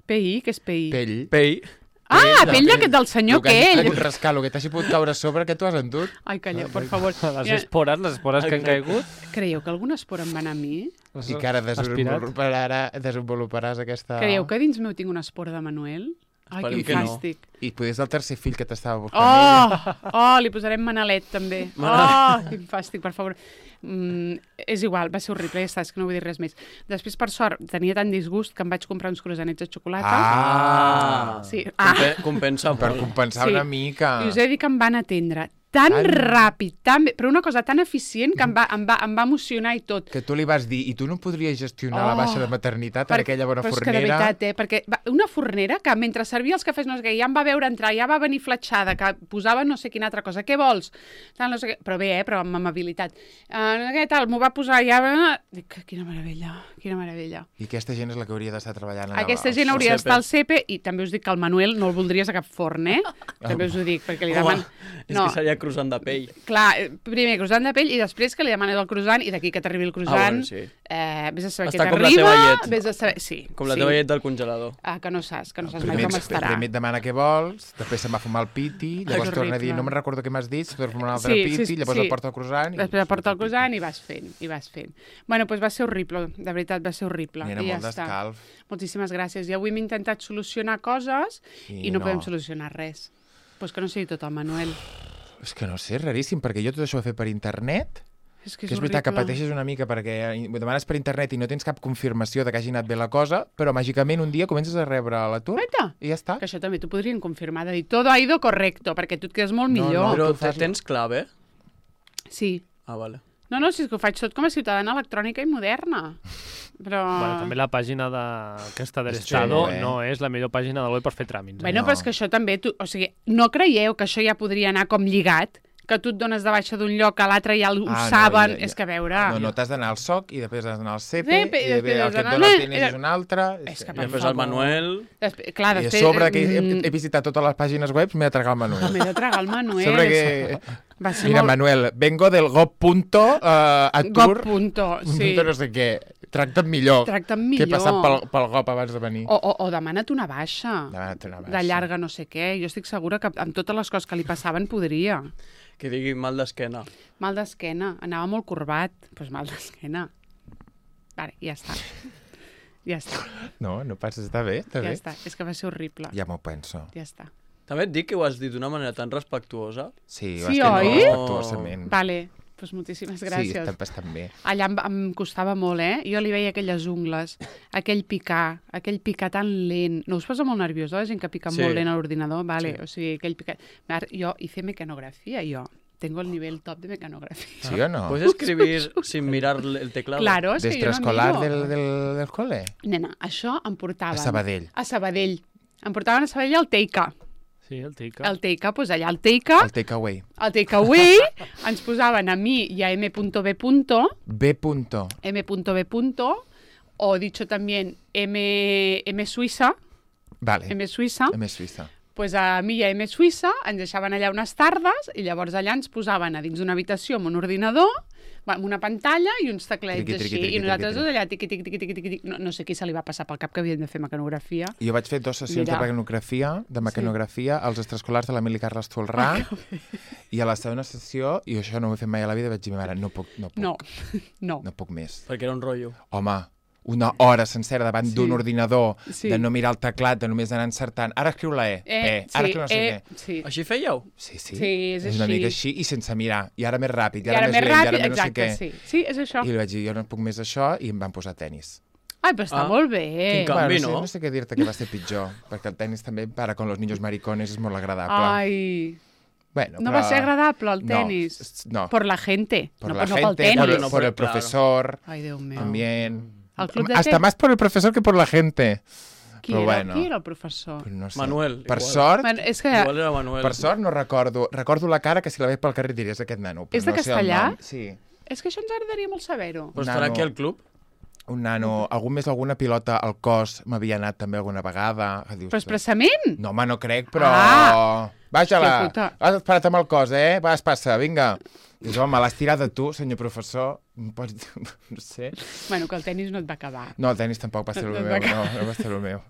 PI? Què és PI? Pell. Pell. Ah, pell d'aquest del senyor El que hagi aquell. pogut rascar, el que t'hagi pogut caure a sobre, que tu has endut. Ai, calla, per favor. Les Mira, espores que han caigut. creieu que alguna espora em va anar a mi? les I que ara aspirat. desenvoluparàs aquesta... Creieu que dins meu tinc una espora de Manuel? Ai, Esperem quin que no. fàstic. I potser és el tercer fill que t'estava buscant ella. Li posarem Manalet, també. Quin fàstic, per favor. És igual, va ser horrible, ja està, és que no vull dir res més. Després, per sort, tenia tant disgust que em vaig comprar uns croissanets de xocolata. Ah! Sí. Compensa Per molt. compensar Sí. una mica. I us he de dir que em van atendre tan ràpid, tan bé, però una cosa tan eficient que em va emocionar i tot. Que tu li vas dir, i tu no podries gestionar la baixa de maternitat en aquella bona però és que de fornera? veritat, perquè una fornera que mentre servia els cafès no sé què, ja em va veure entrar, ja va venir fletxada, que posava no sé quina altra cosa, què vols? Tal, no sé què. Però bé, però amb amabilitat. No sé què, tal, m'ho va posar ja... Dic, quina meravella, quina meravella. I aquesta gent és la que hauria d'estar treballant allà. Aquesta gent hauria d'estar al CEPE i també us dic que el Manuel no el voldries a cap forn, També us ho dic, perquè li deman... És que seria croissant de pell. Clar, primer croissant de pell i després que li demanes el croissant i d'aquí que t'arribi el croissant, bueno, sí. Vés a saber Està què com la t'arriba, teva llet. vés a saber... Sí, Com la sí. teva llet del congelador. Que no saps mai com estarà. Primer et demana què vols, després se'n va fumar el piti, llavors És torna a dir, horrible. no me'n recordo què m'has dit, torna a fumar un altre Sí, piti, sí, llavors sí. el porta el croissant... Després aporta el croissant i vas fent. Bueno, doncs va ser horrible, de veritat, va ser horrible. Era I ja molt està. d'escalf. Moltíssimes gràcies. I avui hem intentat solucionar coses i no podem solucionar res. Doncs que no sigui tot el Manuel. És que no sé, és raríssim, perquè jo tot això ho he fet per internet, És que és veritat que pateixes una mica perquè ho demanes per internet i no tens cap confirmació de que hagi anat bé la cosa, però màgicament un dia comences a rebre l'atur Guaita, i ja està. que això també t'ho podrien confirmar, de dir, todo ha ido correcto, perquè tu et quedes molt No, millor. Però tu fas- tens clave? Sí. Ah, vale. No, si és que ho faig tot com a ciutadana electrònica i moderna. Però... Bueno, també la pàgina d'aquesta de És l'Estado xulo, no és la millor pàgina del web per fer tràmits. Bueno, No. però és que això també... O sigui, no creieu que això ja podria anar com lligat? Que tu et dones de baixa d'un lloc a l'altre i ja ho saben? És que a veure... No, t'has d'anar al SOC i després has d'anar al CEPE CEPE, i i després el has que et d'anar- dona el diners és un altre. És que I per després favor. el Manuel... Clar, I a després... sobre que he visitat totes les pàgines web, m'he de tragar el Manuel. M'he de tragar el Manuel. Sobre que... Va ser Mira, molt... Manuel, vengo del gop.atur, Gop.to, sí. no sé què. Tracta'm millor. Tracta'm Que he millor. passat pel GOP abans de venir. O demana't una baixa. Demana't una baixa. De llarga no sé què. Jo estic segura que amb totes les coses que li passaven podria. Que digui mal d'esquena. Mal d'esquena. Anava molt corbat. Doncs pues mal d'esquena. Vale, ja està. Ja està. No passa, està bé, està Ja bé. està. És que va ser horrible. Ja m'ho penso. Ja està. També et dic que ho has dit d'una manera tan respectuosa. Sí, Sí, ho has oi? fet respectuosament. Vale, doncs moltíssimes gràcies. Sí, està bastant bé. Allà em costava molt, Jo li veia aquelles ungles, aquell picar tan lent. No us posa molt nerviós, la gent que pica Sí. molt lent a l'ordinador? Vale, Sí. o sigui, aquell picar... Jo hice mecanografía, Tengo el nivel top de mecanografía. Sí o no? ¿Puedes escribir sin mirar el teclado? Claro, és que jo no D'extraescolar miro. del col·le? Nena, això em portaven... A Sabadell. A Sabadell. Em portaven a Sabadell al Teica. Sí, el Tica. El Teica, doncs allà al Teica, El takeaway. al Takeaway, ens posaven a mi i a M.B. M.B. O dicho también M Suïssa, Vale. M Suïssa, M Suïssa. pues a mi i a M Suïssa ens deixaven allà unes tardes i llavors allà ens posaven a dins d'una habitació amb un ordinador, amb una pantalla i uns teclets Triqui, així, triqui, triqui, i nosaltres triqui, tots allà tiqui, tiqui, tiqui, tiqui, tiqui. No sé qui se li va passar pel cap que havien de fer mecanografia. Jo vaig fer 2 sessions Mira. de mecanografia als extraescolars de l'Emili Carles Tolrà i a la segona sessió, i això no ho he fet mai a la vida, vaig dir, mare, no puc No. més. Perquè era un rotllo. Home, una hora sencera davant d'un ordinador, Sí. de no mirar el teclat, de només anar encertant. Ara escriu la E, ara escriu no sé què. Sí. Així fèieu? Sí, Sí, és una així. mica així i sense mirar. I ara més ràpid, I ara més lent, ràpid, i ara més no sé exacte, què. sí. Sí, és això. I li vaig dir, jo no puc més això, i em van posar tenis. Ai, però està Ah, molt bé. quin canvi, no sé, no? no sé què dir-te que va ser pitjor, perquè el tenis també, para con los niños maricones, és molt agradable. Ai, Bueno, no però- va ser agradable el tenis. No, Por la gente, por no, la no pel gente, tenis. No, por el claro. profesor, Ai, Déu meu. también. El club de Hasta tenis. más por el profesor que por la gente. Qui però era? bueno. Qui era el professor? Pues no sé. Manuel, Per igual. sort, Bueno, és que Igual era Manuel. per sort no recordo. Recordo la cara que si la veig pel carrer diries aquest nano. Però És de no sé el castellà? nom. Sí. és que això ens agradaria molt saber-ho. Però estarà Nano. aquí al club? Un nano, algun més alguna pilota al cos m'havia anat també alguna vegada. Que dius, Però expressament? no, home, no crec, però... Ah! Vaja-la! Hòstia puta. Has parat amb el cos, eh? Va, passa, vinga. Dius, home, l'has tirat de tu, senyor professor. Em pots dir... No sé. Bueno, que el tenis no et va acabar. No, el tenis tampoc va ser el No, meu. No va ser el meu.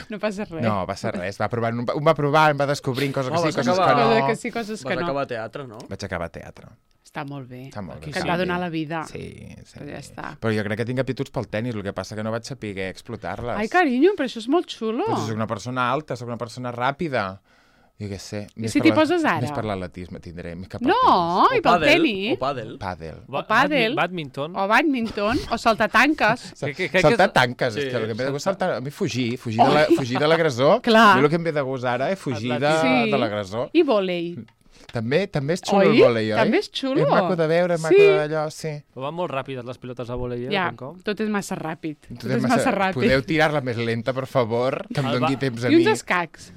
No passa res. No, va ser res. Va provant, ho va provar, em va descobrint coses que Oh, sí, vas coses acabar- que no. Coses que sí, coses que Vas no. acabar a teatre, no? Vaig acabar a teatre. Està molt bé. Està molt bé. Que et va donar la vida. Sí, sí. Però ja està. Però jo crec que tinc aptituds pel tenis, el que passa que no vaig saber explotar-les. Ai, carinyo, però això és molt xulo. Però soc una persona alta, soc una persona ràpida. Jo què sé. més si per t'hi la- poses ara? Més per l'atletisme tindré, més cap al No, i pel pàdel, tenis. O pàdel. tenis. Pàdel. O pàdel. Badminton. O badminton, o saltatanques. Crec que Saltar és- tanques, Sí, és que el que em ve de gust saltar. saltar... A mi fugir de l'agressor. Clar. A mi el que em ve de gust ara és fugir Sí. de l'agressor. I vòlei. També és xulo Oi? el vòlei, oi? També és xulo. És maco de veure, és maco Sí. d'allò, sí. Però van molt ràpides les pilotes de vòlei, eh? Ja, Com? tot és massa ràpid. Tot és massa ràpid. Podeu tirar-la més lenta, per favor? Que em El doni va- temps a I mi. uns escacs.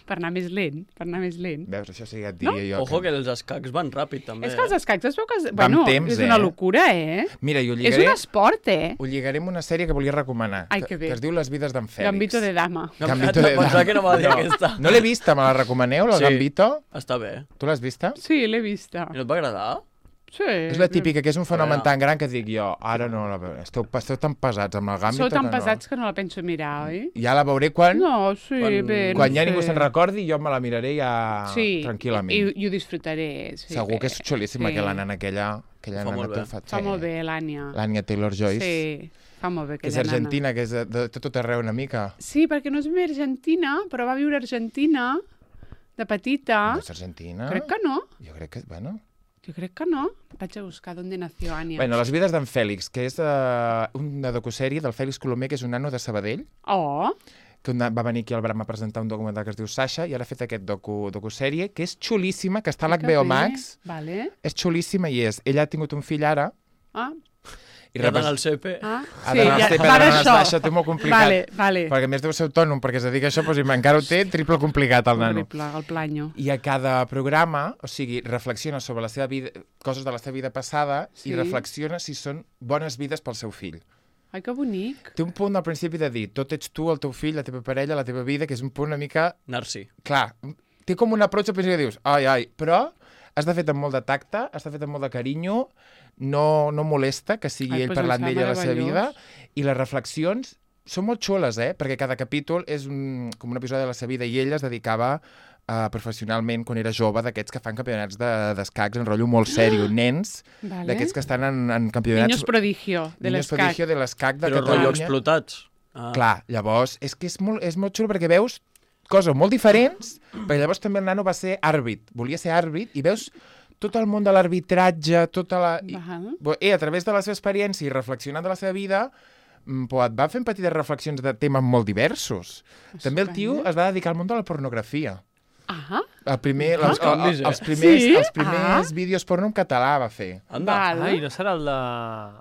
Per anar més lent, Veus, això sí que et diria jo. Ojo, que els escacs van ràpid, també. És que els escacs es veu que... Va amb temps, és una eh? locura, eh? Mira, i ho És lligaré, un esport, eh? ho lligaré amb una sèrie que volia recomanar. Ai, que bé. Que es diu Les vides d'en Fèlix. Gambito de dama. Gambito de Pensava dama. que no va dir aquesta. No l'he vista, me la recomaneu, la Sí. Gambito? Està bé. Tu l'has vista? Sí, l'he vista. I no et va agradar? Sí. És la típica, que és un fenomen veure. tan gran que dic jo, ara no la veuré. Esteu tan pesats amb la Gambito Sou tan que no. pesats que no la penso mirar, oi? Ja la veuré quan No, sí, bé, quan no ja sé. ningú se'n recordi, jo me la miraré ja Sí, tranquil·lament. i ho disfrutaré. Sí, Segur que és xulíssima, Sí. que la nana aquella Fa nana molt bé. Fa molt bé, l'Ània. L'Ània Taylor-Joyce, Sí, fa molt bé que és aquella nana. argentina, que és de tot arreu una mica. Sí, perquè no és ben argentina, però va viure a Argentina de petita. No és argentina? Crec que no. Jo crec que, bueno... Jo crec que no. Vaig a buscar d'on nació Ània. Bueno, Les vides d'en Fèlix, que és una docusèrie del Fèlix Colomer, que és un nano de Sabadell, Oh, que va venir aquí al Bram a presentar un documental que es diu Sasha, i ara ha fet aquest docusèrie, que és xulíssima, que està a que l'HBO bé. Max. Vale. És xulíssima i és... Ella ha tingut un fill ara, Ah, i I ha d'anar al CP. ah. ha d'anar al CP, va ha d'anar a d'això. Sasha, té molt complicat. Vale, vale. Perquè a més deu ser autònom, perquè es dedica a això, doncs encara ho té triple complicat, el nano. Horrible, el planyo. I a cada programa, o sigui, reflexiona sobre la seva vida, coses de la seva vida passada, Sí. i reflexiona si són bones vides pel seu fill. Ai, que bonic. Té un punt al principi de dir, tot ets tu, el teu fill, la teva parella, la teva vida, que és un punt una mica... Narci. Clar, té com un approach al principi que dius, ai, però està fet amb molt de tacte, està fet amb molt de carinyo, no molesta que sigui Ai, ell doncs parlant em fa d'ella a la seva vida, meravellós. i les reflexions són molt xules, perquè cada capítol és com un episodi de la seva vida, i ella es dedicava professionalment, quan era jove, d'aquests que fan campionats d'escacs en rotllo molt sèrio, nens, Vale. d'aquests que estan en campionats... Niños prodigio de Niños l'escac. prodigio de l'escac de Però rotllo Catalunya. explotats. Ah. Clar, llavors, és que és molt xulo perquè veus coses molt diferents, perquè llavors també el nano va ser àrbit, volia ser àrbit, i veus tot el món de l'arbitratge, tota la... Val. A través de la seva experiència i reflexionant de la seva vida, et va fent petites reflexions de temes molt diversos. També el tio Estupendo. es va dedicar al món de la pornografia. Ah, Els primers Sí? vídeos porno en català va fer. Anda. val. Ai, no serà el de...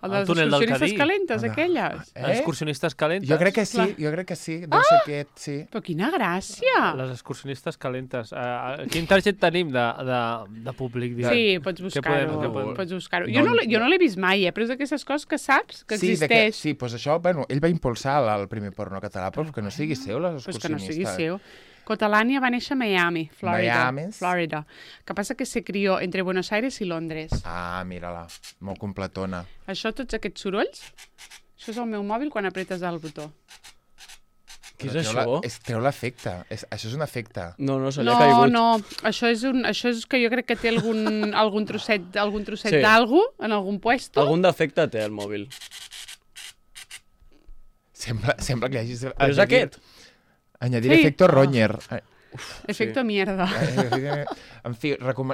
El de les túnel del excursionistes Cadí? calentes, aquelles. Excursionistes calentes? Jo crec que sí, deu ser aquest, sí. Però quina gràcia. Les excursionistes calentes. Quin target tenim de públic? diguem? Sí, pots Què buscar-ho. podem- Pots buscar-ho. Jo no l'he vist mai, però és d'aquestes coses que saps que Sí, existeix. sí, doncs això, bueno, ell va impulsar el primer porno català, però que no sigui seu, les Pues que no excursionistes. sigui seu. Cotalania va néixer a Miami, Florida. Miami. Florida. Que passa que se crió entre Buenos Aires i Londres. Ah, mira-la, molt completona. Això, tots aquests sorolls, això és el meu mòbil quan apretes el botó. Què és Però això? Treu l'efecte, això és un efecte. No, se li ha caigut. No, això és que jo crec que té algun trosset Sí. d'algú en algun puesto. Algun defecte té el mòbil. Sembla que hi hagi... Però és aquest? Añadir Sí. efecto Roñer. Efecto mierda. En fi,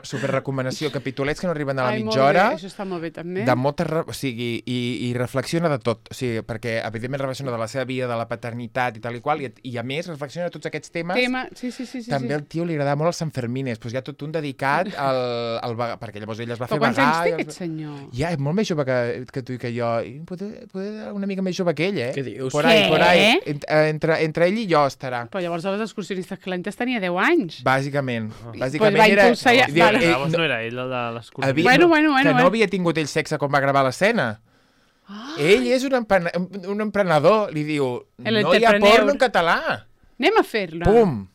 superrecomanació. Capitolets que no arriben a la Ai, molt mitja hora. bé, això està molt bé, també. De moltes... O sigui, i reflexiona de tot. O sigui, perquè, evidentment, reflexiona de la seva vida, de la paternitat i tal i qual, i a més, reflexiona de tots aquests temes. Sí. També al tio li agrada molt els Sanfermines. Doncs hi ha tot un dedicat al perquè llavors ella es va fer Però quants vagar. anys té aquest senyor? Ja, és molt més jove que tu i que jo. I poder una mica més jove que ell, eh? Què dius? Por ahí, Què? por ahí. Entre ell i jo estarà. Però llavors a les excursionistes calentes tenia 10 anys. Bàsicament. Pues Bàsicament va era... impulsar ja- Diu, vale. Llavors no era ell, el de l'excursió. Bueno. Que no havia tingut ell sexe quan va gravar l'escena. Ell és un emprenedor. Li diu, El no hi ha entrepreneur. porno en català. Anem a fer-la. Pum!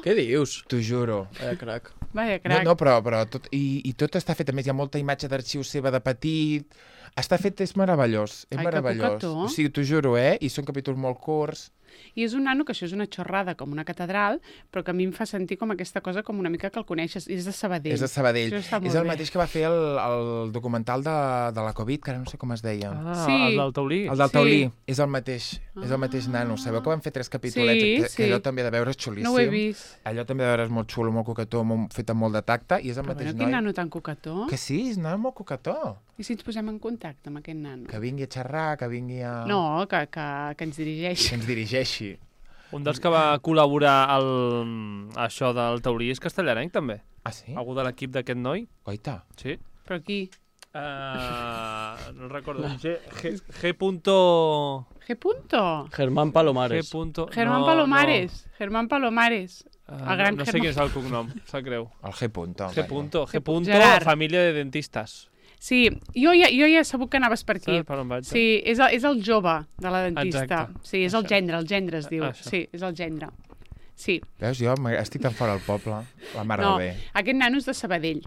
Què dius? T'ho juro. Crac. Vaja, crac. No, però tot, i tot està fet. A més, hi ha molta imatge d'arxiu seva de petit. Està fet, és meravellós. És Ai, que meravellós. cocató. O sigui, t'ho juro, I són capítols molt curts. I és un nano que això és una xorrada com una catedral, però que a mi em fa sentir com aquesta cosa com una mica que el coneixes. És de Sabadell. És de Sabadell. Això està molt És el bé. mateix que va fer el documental de la Covid, que ara no sé com es deia. Sí. El del Taulí. El del Sí. Taulí. És el mateix. És el mateix nano. Sabeu que van fer 3 capítolets? Sí, que allò sí. també de veure és xulíssim. No ho he vist. Allò també de veure és molt xulo, molt coquetó, fet amb molt de tacte, i és el Però mateix bueno, quin noi. nano tan cocató. Que sí, és un nano molt coquetó. I si ens posem en contacte amb aquest nano? Que vingui a xerrar, que vingui a... No, que ens dirigeix. Que ens dirigeixi. Un dels que va col·laborar això del Taurí és castellarenc, també. Ah, sí? Algú de l'equip d'aquest noi. Oita. Sí. Però qui? No recordo. G. punto... G. punto. Germán G. Palomares. punto... Germán no, Palomares. Germán Palomares. No. El gran no sé Germán. quin és el cognom, sap greu. El G. punto. G. punto, G. punto, Gerard. família de dentistes. Sí, jo ja he sabut que anaves per aquí. Saps per on vaig? Sí, és el jove de la dentista. Exacte. Sí, és el gendre es diu. Això. Sí, és el gendre. Sí. Veus, jo estic tan fora del poble. La mare No, de bé. aquest nano és de Sabadell.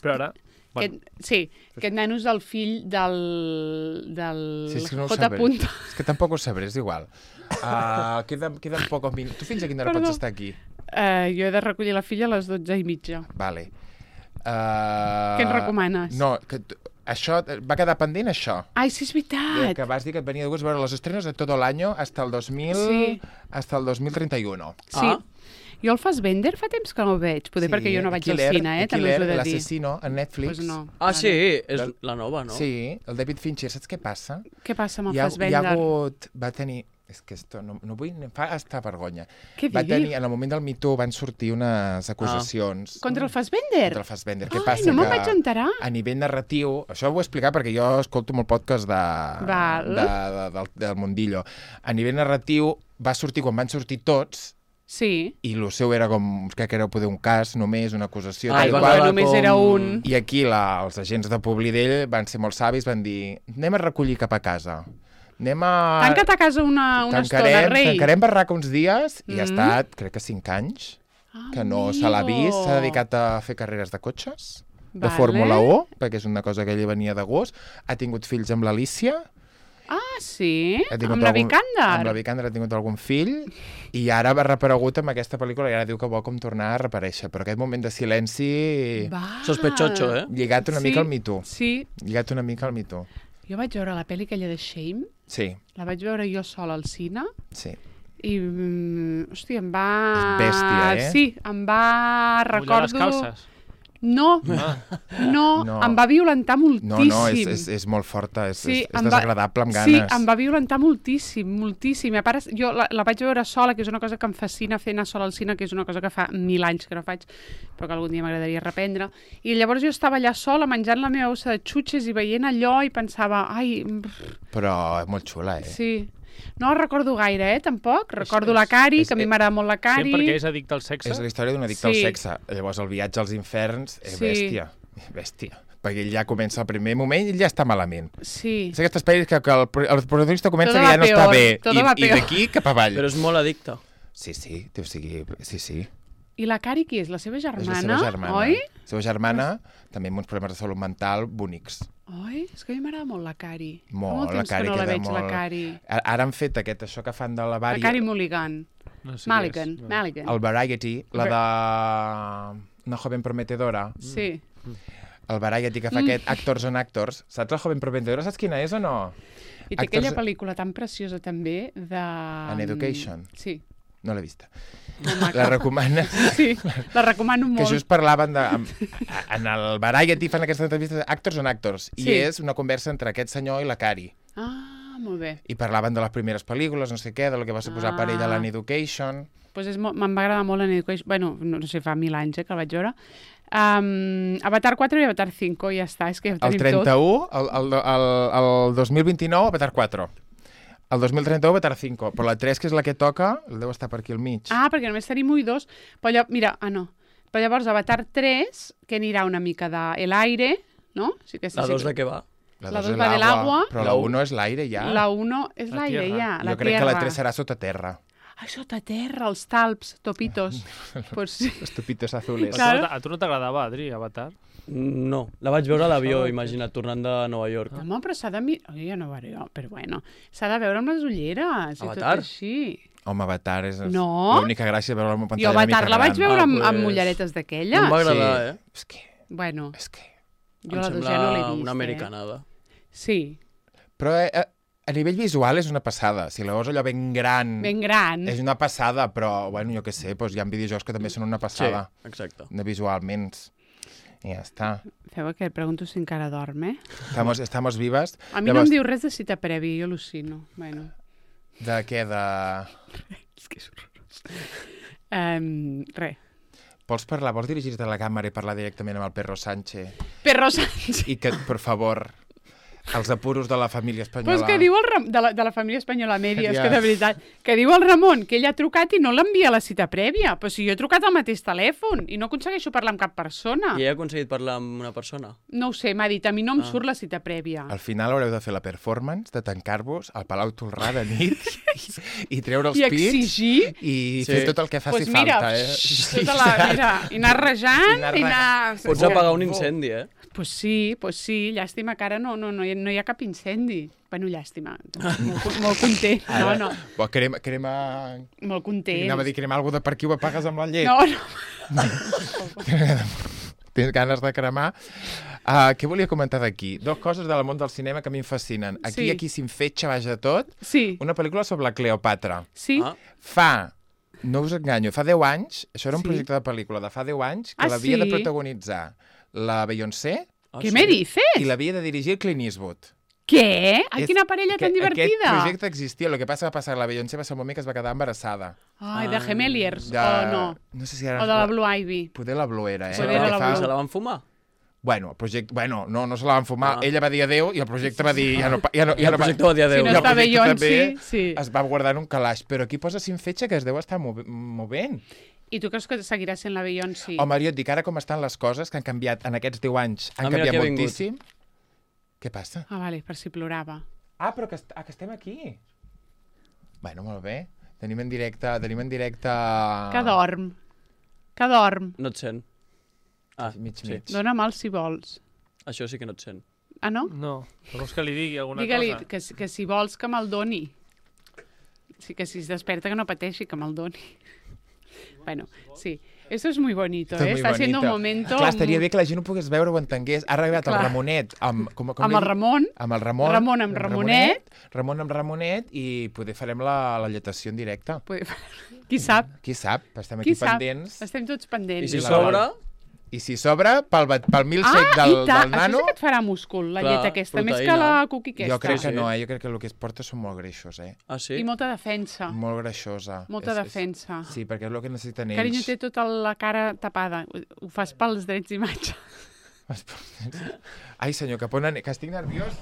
Però ara... Bueno, Aquest nano és el fill del Sí, és que no ho J. sabré. punto. És que tampoc ho sabré, és igual. Queden pocs minuts. Tu fins a quina hora Perdó. pots estar aquí? Jo he de recollir la filla a les 12:30. Vale. Què ens recomanes? No, això va quedar pendent, això. Ai, sí, és veritat. Que vas dir que et venia de gust veure les estrenes de tot l'any hasta el 2000... Sí. Hasta el 2031. Sí. Jo el Fassbender fa temps que no el veig. Poder perquè jo no vaig al cine, també us ho he de dir. L'assassino, a Netflix. Pues no. Ah, sí? És la nova, no? Sí, el David Fincher. Saps què passa? Què passa amb el Hi ha Fassbender? hagut... Va tenir... És que esto no vull... Em fa estar vergonya. Què Va dius? tenir, en el moment del Me Too van sortir unes acusacions Contra el Fassbender? contra el Fassbender. Què Ai, passa? no me'n que vaig enterar. a nivell narratiu... Això ho vull explicar perquè jo escolto molt podcast del Mundillo. A nivell narratiu va sortir quan van sortir tots Sí. i el seu era com... Crec que era poder un cas només, una acusació... Ah, tal i va qual. quedar només com- era un. I aquí els agents de Publi d'ell van ser molt savis, van dir anem a recollir cap a casa. Anem a... Tanca't a casa una estona, rei. Tancarem barraca uns dies i ha Mm. estat, crec que 5 anys, que no se l'ha vist, s'ha dedicat a fer carreres de cotxes, de Vale. Fórmula 1, perquè és una cosa que ell venia de gust, ha tingut fills amb l'Alícia, Ah, sí? ha tingut Amb la algun- Vikander? amb la Vikander ha tingut algun fill, i ara va reaparegut amb aquesta pel·lícula i ara diu que vol com tornar a reaparèixer, però aquest moment de silenci Va. Sospechoso, eh? lligat una Sí. mica al Me Too. Sí. Lligat una mica al Me Too. Jo vaig veure la pel·li aquella de Shame, Sí, la vaig veure jo sola al cine, sí. i, hòstia, em va... És bèstia, eh? Sí, em va... mullar les Recordo... calces. No, No. em va violentar moltíssim. No, és molt forta, és em desagradable amb Sí, ganes. em va violentar moltíssim, moltíssim. A part, jo la vaig veure sola, que és una cosa que em fascina fer anar sola al cine, que és una cosa que fa 1000 anys que no faig, però que algun dia m'agradaria reprendre. I llavors jo estava allà sola menjant la meva bossa de xutxes i veient allò i pensava, ai, Però és molt xula, eh? sí. No la recordo gaire, tampoc. Recordo la Cari, que a mi m'agrada molt la Cari. Sempre que és addicte al sexe. És la història d'un addicte al Sí. sexe. Llavors el viatge als inferns és Sí. bèstia. Perquè ell ja comença el primer moment i ell ja està malament. Sí. És aquestes pel·lis que el protagonista comença Todo que ja va no està peor, bé. todo va I peor. d'aquí cap avall. Però és molt addicte. Sí, o sigui, sí. I la Cari qui és? La seva És germana? la seva germana. Oi? La seva germana, també amb uns problemes de salut mental bonics. Oi? És que a mi m'agrada molt la Cari. Molt, Fa molt la temps Cari que no la queda veig, la molt- Cari. Ara han fet això que fan de la La Vari... Cari Mulligan. No sé Mulligan, què és. Mulligan. El Variety, la de Una joven prometedora. Sí. el Variety que fa aquest Actors on Actors. Saps el Joven Prometedor? Saps quina és o no? I té aquella pel·lícula tan preciosa també de... An Education. Sí. No l'he vista. Molt maca. La recomana. Sí, la recomano Que molt. just parlaven de... En el Variety fan aquestes entrevistes Actors on Actors. I Sí. és una conversa entre aquest senyor i la Cari. Ah, molt bé. I parlaven de les primeres pel·lícules, no sé què, del que va suposar per ella l'An Education. Pues me'n va agradar molt en Education. Bueno, no sé, fa 1000 anys que el vaig veure. Avatar 4 i Avatar 5, ja està. És que ja ho El tenim 31, tot. el 2029, Avatar 4. El 2031, Avatar 5. Però la 3, que és la que toca, el deu estar per aquí al mig. Ah, perquè només tenim 1 i 2. Però mira, no. Però llavors Avatar 3, que anirà una mica de l'aire, no? Sí que sí, La sí 2 de què va? la dos dos és va de l'agua. Però la 1 és l'aire, ja. La 1 és La l'aire, tierra. ja. La Jo crec tierra. que la 3 serà sota terra. Ai, sota terra, els talps, topitos. Pues sí. Los tupitos azules. Clar. A tu no t'agradava, Adri, Avatar? No, la vaig veure a l'avió, imagina't, tornant de Nova York. Home, però s'ha de mirar... Ja no ho veuré jo, però bueno. S'ha de veure amb les ulleres i Avatar? tot així. Home, Avatar és No? l'única gràcia de veure la pantalla Jo una mica Avatar la vaig gran. veure amb pues, ulleretes No d'aquelles. em va agradar, Sí. eh? És que... Bueno, És que... jo Em la 2 sembla ja no l'he vist, una americanada. Sí, Però a nivell visual és una passada. Si la veus allò ben gran... ben gran. És una passada, però, bueno, jo què sé, doncs hi ha videojocs que també són una Sí, passada. exacte. De visualment. I ja està. Feu que et pregunto si encara dorm, eh? Estamos vivas. A mi no em diu res de cita prèvia, jo al·lucino. Bueno, De què? De... és que és horrorós. Res. Vols dirigir-te a la càmera i parlar directament amb el Perro Sánchez? Perro Sánchez. I que, per favor, els apuros de la família espanyola... Pues que diu de la família espanyola Mèdia, és Ja. que de veritat, que diu el Ramon que ell ha trucat i no l'envia a la cita prèvia. Però si jo he trucat al mateix telèfon i no aconsegueixo parlar amb cap persona. I ella ha aconseguit parlar amb una persona? No ho sé, m'ha dit, a mi no em surt la cita prèvia. Al final haureu de fer la performance de tancar-vos al Palau Tolrà de nit i treure els I pits exigir... i Sí. fer tot el que faci Pues mira, falta. tota la, mira, i anar rejant, I i anar... Pots apagar un incendi, eh? Pues sí, llàstima que ara no hi ha cap incendi. Bueno, llàstima, molt content. No, no, Bo, crema... molt content. Anava a dir crema alguna per aquí ho apagues amb la llet. No, no. Tens ganes de cremar. Què volia comentar d'aquí? Dues coses del món del cinema que a mi em fascinen. Sí. Aquí s'infetxa, baix de tot, Sí, una pel·lícula sobre la Cleopatra. sí. Ah, Fa, no us enganyo, fa 10 anys, això era un Sí. projecte de pel·lícula de fa 10 anys, que Ah, l'havia de sí? protagonitzar la Beyoncé ¿Qué me dices? i l'havia de dirigir Clint Eastwood. Què? Ai, És quina parella tan que divertida. Aquest projecte existia, el que passa va passar, la Beyoncé va ser un moment que es va quedar embarassada. Ai, de Gemeliers, De... o no? No sé si era... O de la Blue Ivy. Poder la Blue era, eh? Poder El era que la fa- Blue. Se la van fumar? Bueno, el projecte... Bueno, no se la van fumar. Ah. Ella va dir adéu i el projecte va dir... Ja no El projecte va dir adéu. Si no I el està projecte Beyoncé, també sí. es va guardar en un calaix. Però aquí posa Sinfetge que es deu estar movent. I tu creus que seguirà sent la Beyoncé? Home, jo et dic ara com estan les coses, que han canviat en aquests 10 anys. Han mira canviat qui ha vingut. moltíssim. Què passa? Ah, vale, per si plorava. Ah, però que estem aquí. Bueno, molt bé. Tenim en directe... Que dorm. Que dorm. No et sent. Ah, Mig, sí. mig. Dóna'm si vols. Això sí que no et sent. Ah, no? No. Vols que li digui alguna Digue-li cosa? que si vols que me'l doni. Sí, que si es desperta que no pateixi, que me'l doni. Bueno, sí. Esto es muy bonito, Esto es ¿eh? muy Está siendo un bonito. momento... Clar, estaria bé que la gent ho pogués veure o ho entengués. Ha arribat el Clar. Ramonet amb... Com Amb el Ramon. Amb el Ramon. Ramon amb Ramonet. Ramon amb Ramonet i poder farem la lletació en directe. Qui sap? Qui sap? Estem Qui aquí sap? pendents. Estem tots I pendents. si la s'obre, I si s'obre, pel milkshake del Això nano... sí que et farà múscul, la Clar, llet aquesta, més que proteïna. la cookie aquesta. Jo crec que Sí. no, jo crec que el que es porta són molt greixos, ah, sí? I molta defensa. Molt greixosa. Molta defensa. Sí, perquè és el que necessiten ells. Carinyo, té tota la cara tapada. Ho fas pels drets d'imatge. Ai, senyor, que estic nerviós.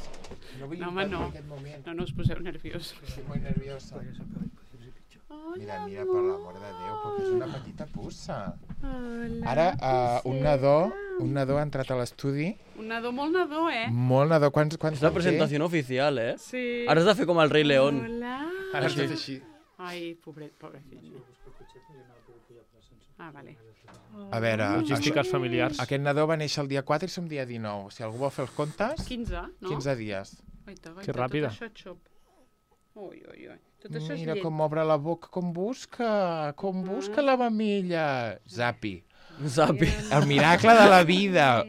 No vull No, home, no. en aquest moment. No us poseu nerviós. Estic molt nerviosa. Mira, per l'amor de Déu, perquè és una petita puça. Ara, un nadó ha entrat a l'estudi. Un nadó molt nadó, eh? Molt nadó. Quants És la presentació oficial, eh? Sí. Ara has de fer com el rei León. Hola. Ara has de fer així. Ai, pobre fill. Ah, vale. A veure, Logístiques familiars. aquest nadó va néixer el dia 4 i som dia 19. Si algú vol fer els comptes, 15, no? 15 dies. Guaita, Que ràpida. Tot això és xop. Ui. Tot això és Mira llet. com obre la boca, com busca la mamilla. Zapi. Zapi. El miracle de la vida.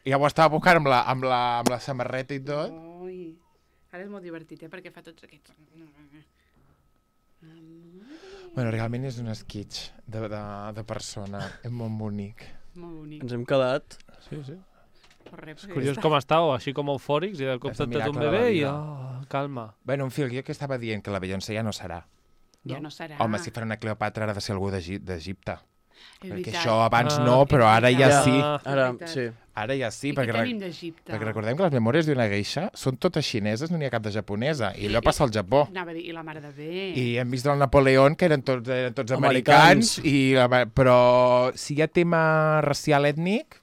Ja ho estava buscant amb la samarreta i tot. Ui. Ara és molt divertit, perquè fa tots aquests... Bueno, realment és un esquitx de persona. És molt bonic. Molt bonic. Ens hem quedat... Sí, sí. És Curiós com estàveu, així com eufòrics, i de cop És el t'entens un miracle de la bebè i... vida. calma. Bueno, en fi, jo que estava dient que la Beyoncé ja no serà. Ja no serà. Home, si farà una Cleopatra ha de ser algú d'Egipte. És Perquè veritat. això abans Ah, no, però ara ja veritat. sí. Ara, veritat. sí. Ara ja sí, I què perquè, tenim d'Egipte? perquè recordem que les memòries d'una geisha són totes xineses, no n'hi ha cap de japonesa. I allò passa al Japó. Anava a dir, i la mare de bé. I hem vist el Napoleón, que eren tots americans, però si hi ha tema racial ètnic,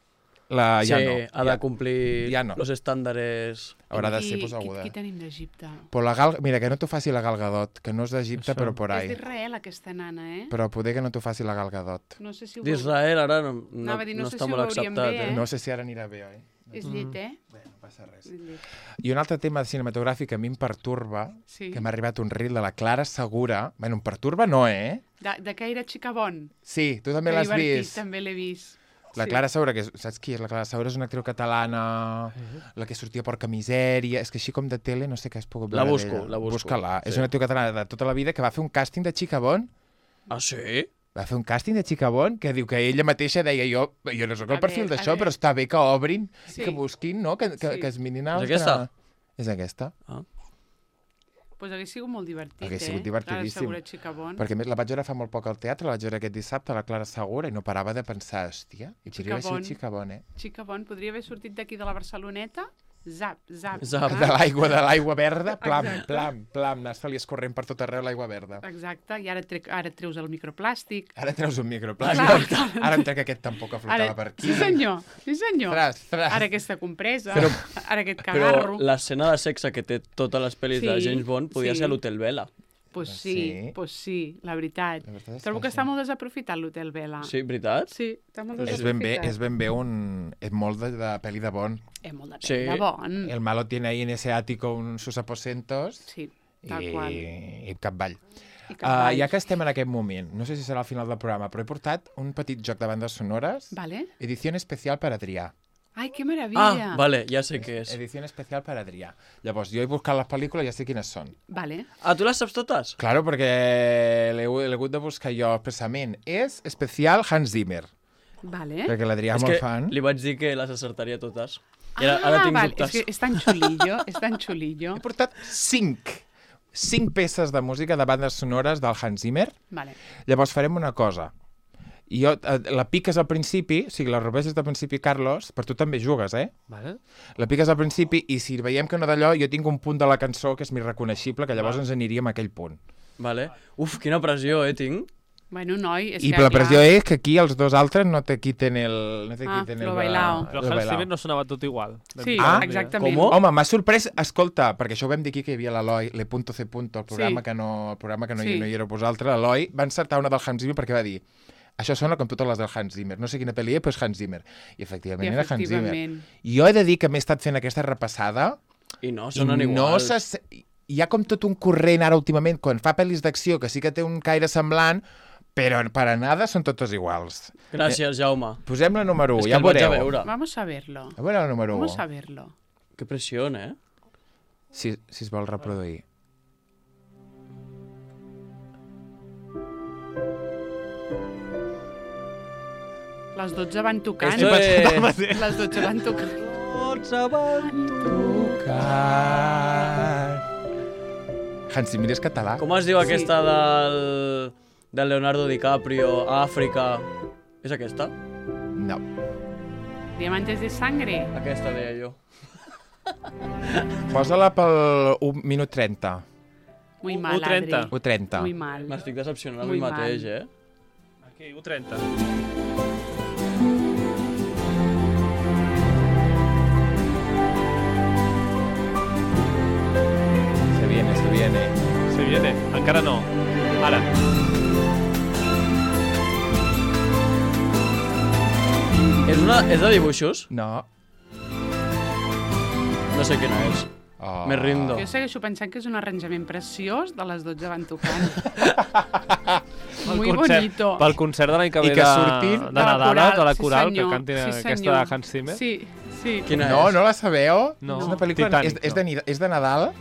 ja Sí, no. ha de complir ja no. los estàndares. Haurà de Qui- ser aguda. Qui tenim d'Egipte? Però mira, que no t'ho faci la Gal Gadot, que no és d'Egipte, Això. però por És ahí. d'Israel, aquesta nana, eh? Però poder que no t'ho faci la Gal Gadot. No sé si ho D'Israel ara no Anava a dir, no sé està si ho molt veuríem acceptat. bé, eh? No sé si ara anirà bé, oi? És llet, eh? Bé, no passa res. És llet. I un altre tema cinematogràfic que a mi em perturba, Sí. que m'ha arribat un reel de la Clara Segura. Bueno, em perturba no, eh? De què era Xicabon? Sí, tu també Que l'has divertit, vist. també l'he vist. La Sí. Clara Segura, saps qui és? La Clara Segura és una actriu catalana, la que sortia Porca Misèria, és que així com de tele no sé què has pogut La veure busco, d'ella. la busco. Busca-la. Sí. És una actriu catalana de tota la vida que va fer un càsting de Xicabon. Ah, sí? Va fer un càsting de Xicabon que diu que ella mateixa deia jo no sóc el A perfil veure, d'això, a però està bé que obrin, Sí. que busquin, no? Que Sí. es mirin És altre. aquesta? És aquesta. Pues hagués sigut molt divertit, Hagués sigut divertidíssim. Clara Segura Xicabon. Perquè a més la vaig veure fa molt poc al teatre, la vaig veure aquest dissabte, la Clara Segura, i no parava de pensar, hòstia, i podria haver sigut Xicabon, eh? Xicabon podria haver sortit d'aquí de la Barceloneta. Zap, zap. Zap. De l'aigua verda, plam, Exacte. plam, anar-se-li escorrent per tot arreu l'aigua verda. Exacte, i ara et treus el microplàstic. Ara treus un microplàstic. Ara em trec aquest tampoc que flotava per aquí. Sí senyor, sí senyor. Tras. Ara aquesta compresa, Però- ara aquest Però cagarro. l'escena de sexe que té totes les pel·lis de Sí, James Bond podia sí. ser a l'Hotel Vela. Pues Sí. sí, pues sí, la veritat. La veritat és Trobo que sí. està molt desaprofitat l'Hotel Vela. Sí, veritat? Sí, està molt És desaprofitat. ben bé és molt de pel·li de Bond. És molt de Sí. pell de bon. El malo tiene ahí en ese ático sus aposentos Sí, tal qual. i capvall. I cavalls. Ja que estem en aquest moment, no sé si serà al final del programa, però he portat un petit joc de bandes sonores, Vale. edició especial per Adrià. Ai, que meravella. Ah, vale, ja sé què és. Edició especial per Adrià. Llavors, jo he buscat les pel·lícules i ja sé quines són. Vale. Ah, tu les saps totes? Claro, perquè l'he hagut de buscar jo expressament. És especial Hans Zimmer, Vale. perquè l'Adrià és És molt que fan. li vaig dir que les acertaria totes. I ara tinc vale. dubtes. És que és tan xulillo, és tan xulillo. He portat 5 peces de música de bandes sonores del Hans Zimmer. Vale. Llavors farem una cosa. Jo, la piques al principi, o sigui, la robeixes del principi, Carlos, per tu també jugues, eh? Vale. La piques al principi i si veiem que no d'allò, jo tinc un punt de la cançó que és més reconeixible, que llavors ens aniríem a aquell punt. Vale. Uf, quina pressió, tinc. Bueno, noi, és I que la pressió clar, és que aquí els dos altres no te quiten el... No te Ah, quiten lo el bailao. Però Hans Zimmer no sonava tot igual. Sí, Ah, exactament. com? Home, m'ha sorprès, escolta, perquè això ho vam dir aquí que hi havia l'Eloi, le.c. el programa Sí. que no, Sí. no hi éreu vosaltres, l'Eloi va encertar una del Hans Zimmer perquè va dir això sona com totes les del Hans Zimmer. No sé quina pel·li és, però és Hans Zimmer. I efectivament era Hans Zimmer. efectivament. Jo he de dir que m'he estat fent aquesta repassada I no, i sonen no igual. hi ha com tot un corrent ara últimament, quan fa pel·lis d'acció, que sí que té un caire semblant, però per a nada són totes iguals. Gràcies, Jaume. Posem la número 1, És que ja el vaig a veureu. veure. Vamos a verlo. A veure la número 1, Vamos a verlo. Que pressió, si es vol reproduir. Les 12 van tocant. Esto es... Les 12 van tocant. Hans Zimmer és català. Com es diu aquesta del Leonardo DiCaprio, Àfrica? És aquesta? No. Diamantes de sangre. Aquesta deia jo. Posa-la pel 1 minut 30. Muy mal, 1:30. Adri. 1:30. Muy mal. M'estic decepcionant a Muy mi mateix, mal. Aquí, 1:30. Se viene, se viene. Se viene. Encara no. Ara. És de dibuixos? No. No sé quina és. Oh. Me rindo. Jo segueixo pensant que és un arranjament preciós de les 12 van tocant. Muy bonito. Pel concert de l'any que I ve que surtin de Nadal, de la coral, senyor, que cantin sí, aquesta senyor. de Hans Zimmer. Sí. Quina No, és? no la sabeu? No. És una pel·lícula... Titanic, és de Nadal.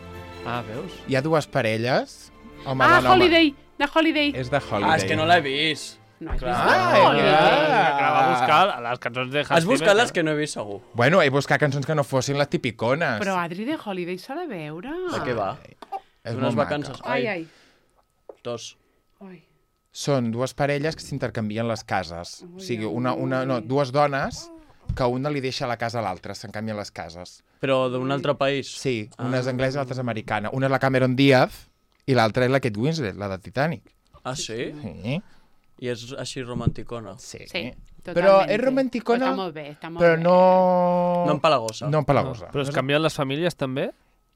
Ah, veus? Hi ha dues parelles. Home, Ah, dona, home. Holiday, de Holiday. És de Holiday. Ah, és que no l'he vist. No has Clar. vist Ah, Holiday? Que va buscar les cançons de Hans Has buscat Zimmer, les que no he vist, segur. Bueno, he buscat cançons que no fossin les tipicones. Però Adri de Holiday s'ha de veure. De què va? És D'unes molt vacances. maca. Ai. Dos. Ai. Són dues parelles que s'intercanvien les cases. Ui, O sigui, ui. dues dones que una li deixa la casa a l'altra, se'n canvien les cases. Però d'un altre país? Sí, una és anglesa i l'altra és americana. Una és la Cameron Diaz i l'altra és la Kate Winslet, la de Titanic. Ah, sí? Sí. I és així romanticona? Sí. Sí, Però totalment. és romanticona, Però està molt bé, està molt però bé. no... No empalagosa. No empalagosa. Però es canvien les famílies també?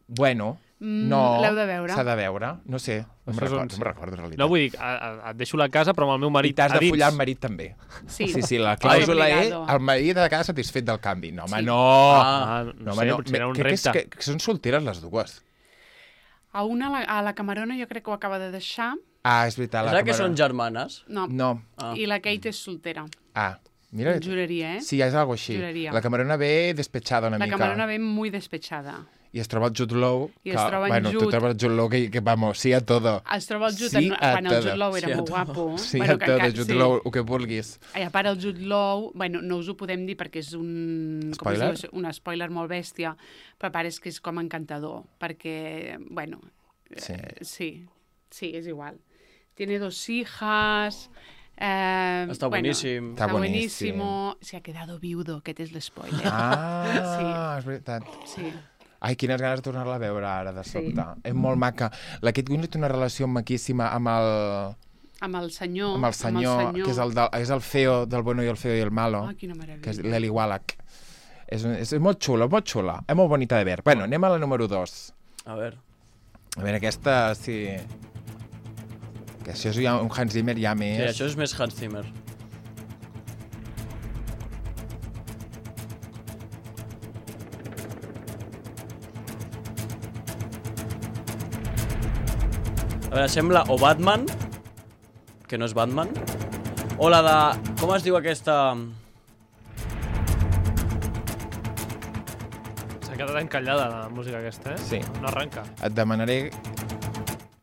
Bueno, no... L'heu de veure. S'ha de veure. No sé, no Això és me'n un- recordo, en realitat. No, vull dir, et deixo la casa, però amb el meu I marit t'has a de dins. follar el marit també. Sí. Sí, la clàusula és Obligado. el marit ha de quedar satisfet del canvi. No, home, Sí. no! Ah, no, sé, potser era un Crec repte. que són solteres les dues. A la Camarona jo crec que ho acaba de deixar. Ah, és veritat. És La la que són Cameron... germanes? No. No. Ah. I la Kate és soltera. Ah, mira. Juraria, eh? Sí, és algo així. Juraria. La Camerona ve despechada una La mica. Camarona ve muy despechada. I es troba el Jude Law. I es troba en bueno, tu Jude. trobes el Jude Law que vamos, sí a todo. Es troba el Jude, Sí a quan el todo. Jude Law era Sí a molt todo. guapo. Sí a todo, Jude Law, el que vulguis. I a part el Jude Law, bueno, no us ho podem dir perquè és un... Spoiler? Com es diu? Un spoiler molt bèstia, però a part és que és com encantador, perquè, bueno, Sí. sí, és igual. Tiene 2 hijas... Està bueno, boníssim. Està Está boníssim. buenísimo. Se ha quedado viudo, aquest és l'espoiler. Ah, és veritat. Sí. Ai, quines ganes de tornar-la a veure ara, de Sí. sobte. És molt maca. La Kate Winslet té una relació maquíssima amb el Amb el senyor. que és el feo del bueno i el feo i el malo, Ah, quina meravella. que és l'Eli Wallach. És molt xula, molt xula. És molt bonita de veure. Bueno, anem a la número 2. A veure. A veure, aquesta, sí... Que això és ja un Hans Zimmer ja Sí, més... això és més Hans Zimmer. A veure, sembla o Batman, que no és Batman, o la de... Com es diu aquesta? S'ha quedat encallada la música aquesta, eh? Sí. No arrenca. Et demanaré...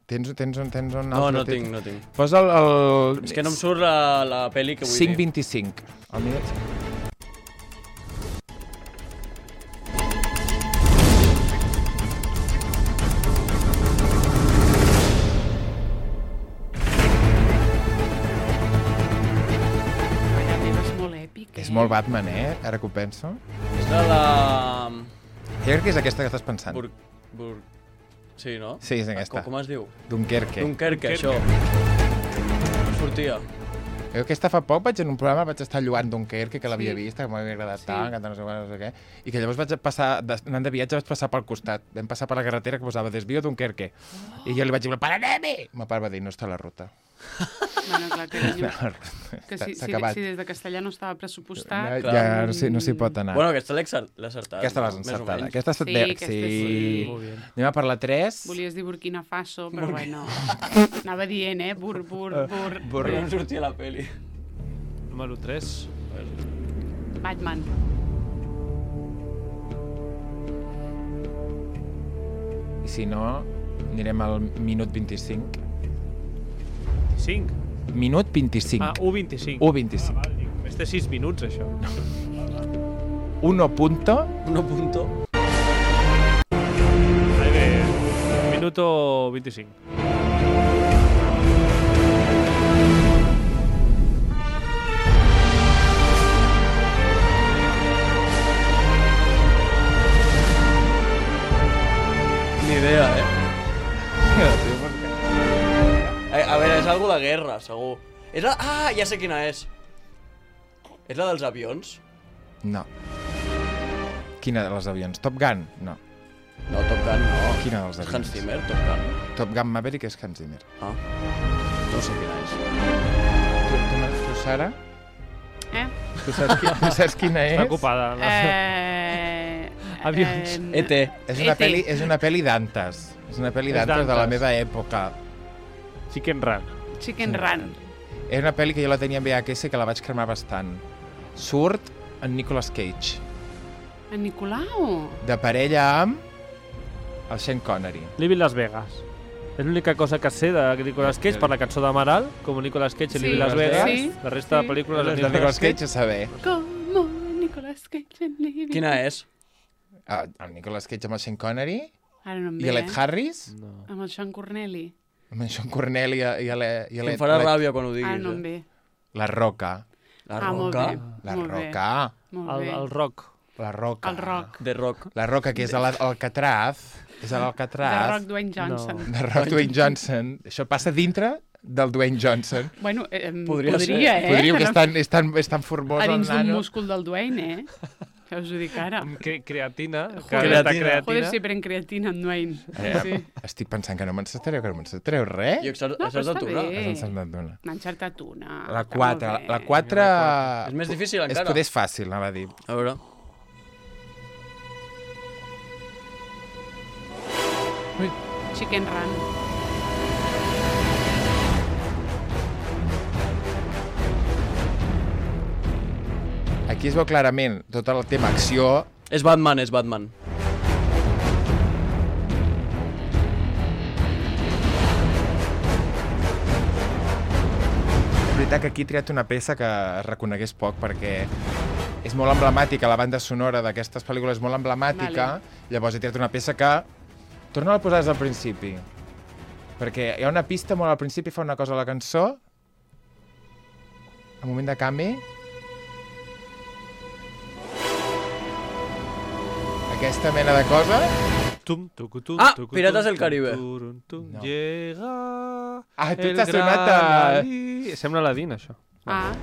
Tens un altre? No tinc, no tinc. Posa el... És que no em surt la pel·li que vull dir. 5.25. El minut... Mare meva, és molt èpic, És molt Batman, ara que ho penso. És la de... Jo crec que és aquesta que estàs pensant. Sí, no? Sí, és aquesta. Com es diu? Dunkerque. Dunkerque, això. No sortia. Jo aquesta fa poc vaig en un programa, vaig estar lloant Dunkerque, que l'havia Sí. vist, que m'havia agradat Sí. tant, que no sé què, i que llavors vaig passar, anant de viatge, vaig passar pel costat. Vam passar per la carretera que posava Desvío Dunkerque. I jo li vaig dir, para-anem-hi! Ma pare va dir, no està a la ruta. Bueno, clar, carinyo. Que S'ha si acabat. des de castellà no estava pressupostat... Ja no s'hi pot anar. Bueno, aquesta l'he acertat. Aquesta l'has més o encertada. menys. Aquesta ha estat Sí, bé. aquesta Sí. sí. Molt bé. Anem a per la 3. Volies dir Burkina Faso, però bueno. Anava dient, bur. Però no em sortia la pel·li. Número 3. Batman. I si no, anirem al minut 25. 5. Minut 25. Ah, 1.25. 1.25. Val, dic, només té 6 minuts, això. 1 punto. 1 punto. Ahí ve, minuto 25. Ni idea, A veure, és algo de guerra, segur. És la... Ah, ja sé quina és. És la dels avions? No. Quina de les avions? Top Gun? No. No, Top Gun no. Quina dels És avions? Hans Zimmer, Top Gun. Top Gun Maverick és Hans Zimmer. Ah. No sé quina és. Tu Sara? Tu saps quina és? Està ocupada. Avions. E.T. És una pel·li d'antes. És una pel·li És d'antes de la d'antes. meva època. Chicken Run. Chicken Run. Era una pel·li que jo la tenia en VHS i que la vaig cremar bastant. Surt en Nicolas Cage, En Nicolau. de parella amb el Sean Connery. Living Las Vegas. És l'única cosa que sé de Nicolas Cage per la cançó d'Amaral, com Nicolas Cage i Sí, Living Las Vegas. sí, La resta sí. de pel·lícules Les de Nicolas Cage a saber. Como Nicolas Cage en Living. Quina és? El Nicolas Cage amb el Sean Connery Ara no em i ve, l'Ed Harris, No. Amb el Sean Corneli. amb en Sean Cornell i Em farà ràbia quan ho diguis. Ara no em ve. La Roca. La Molt Roca. bé. La Molt bé. Roca. Molt bé. El rock. La Roca. El Rock. De rock. La Roca, que és a l'Alcatraz. És a De l'Alcatraz. Rock Dwayne Johnson. De Rock Dwayne Johnson. Això passa dintre del Dwayne Johnson. Bueno, Podria ser. Podríem Que que és tan formós a el dins d'un nano. múscul del Dwayne, Ja us ho dic ara. Creatina. Creatina. Joder, si pren creatina en Dwayne. Sí. Estic pensant que no m'encertareu res. I No, però està una. bé. Has encertat una. N'ha encertat una. La Està 4. molt bé. La 4... És més difícil És encara. poder és fàcil, anava a dir. A veure. Chicken Run. Aquí es veu clarament tot el tema acció. És Batman, és Batman. És veritat que aquí he triat una peça que es reconegués poc perquè és molt emblemàtica, la banda sonora d'aquestes pel·lícules és molt emblemàtica, llavors he triat una peça que torna a posar des del principi. Perquè hi ha una pista molt al principi, fa una cosa a la cançó, al moment de canvi, aquesta mena de cosa. Ah, Pirates del Caribe. No. Llega Ah, tu el t'has sonat gran a... Ali. Sembla Aladdin, això. Ah,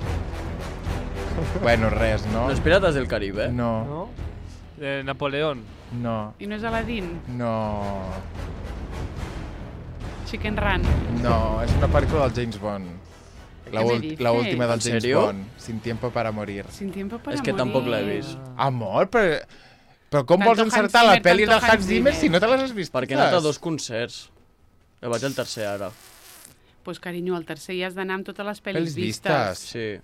Bueno, res, no? No és Pirates del Caribe? No, No? Napoleón. no, i no és Aladdin? no, Chicken Run. no, és una pel·lícula del James Bond. ¿Qué me dices? La última del ¿En James serio? Bond, Sin tiempo para morir. Sin tiempo para És que morir. tampoc l'he vist. Amor, però com Tanto vols encertar Hans la Zimmer, pel·li tanto del Hans Hans Zimmer Zimmer. si no te les has vist Perquè he totes? anat a 2 concerts. Jo vaig al tercer ara. Pues, carinyo, al tercer ja has d'anar amb totes les pel·lis Pel·lis vistes. vistes. Sí.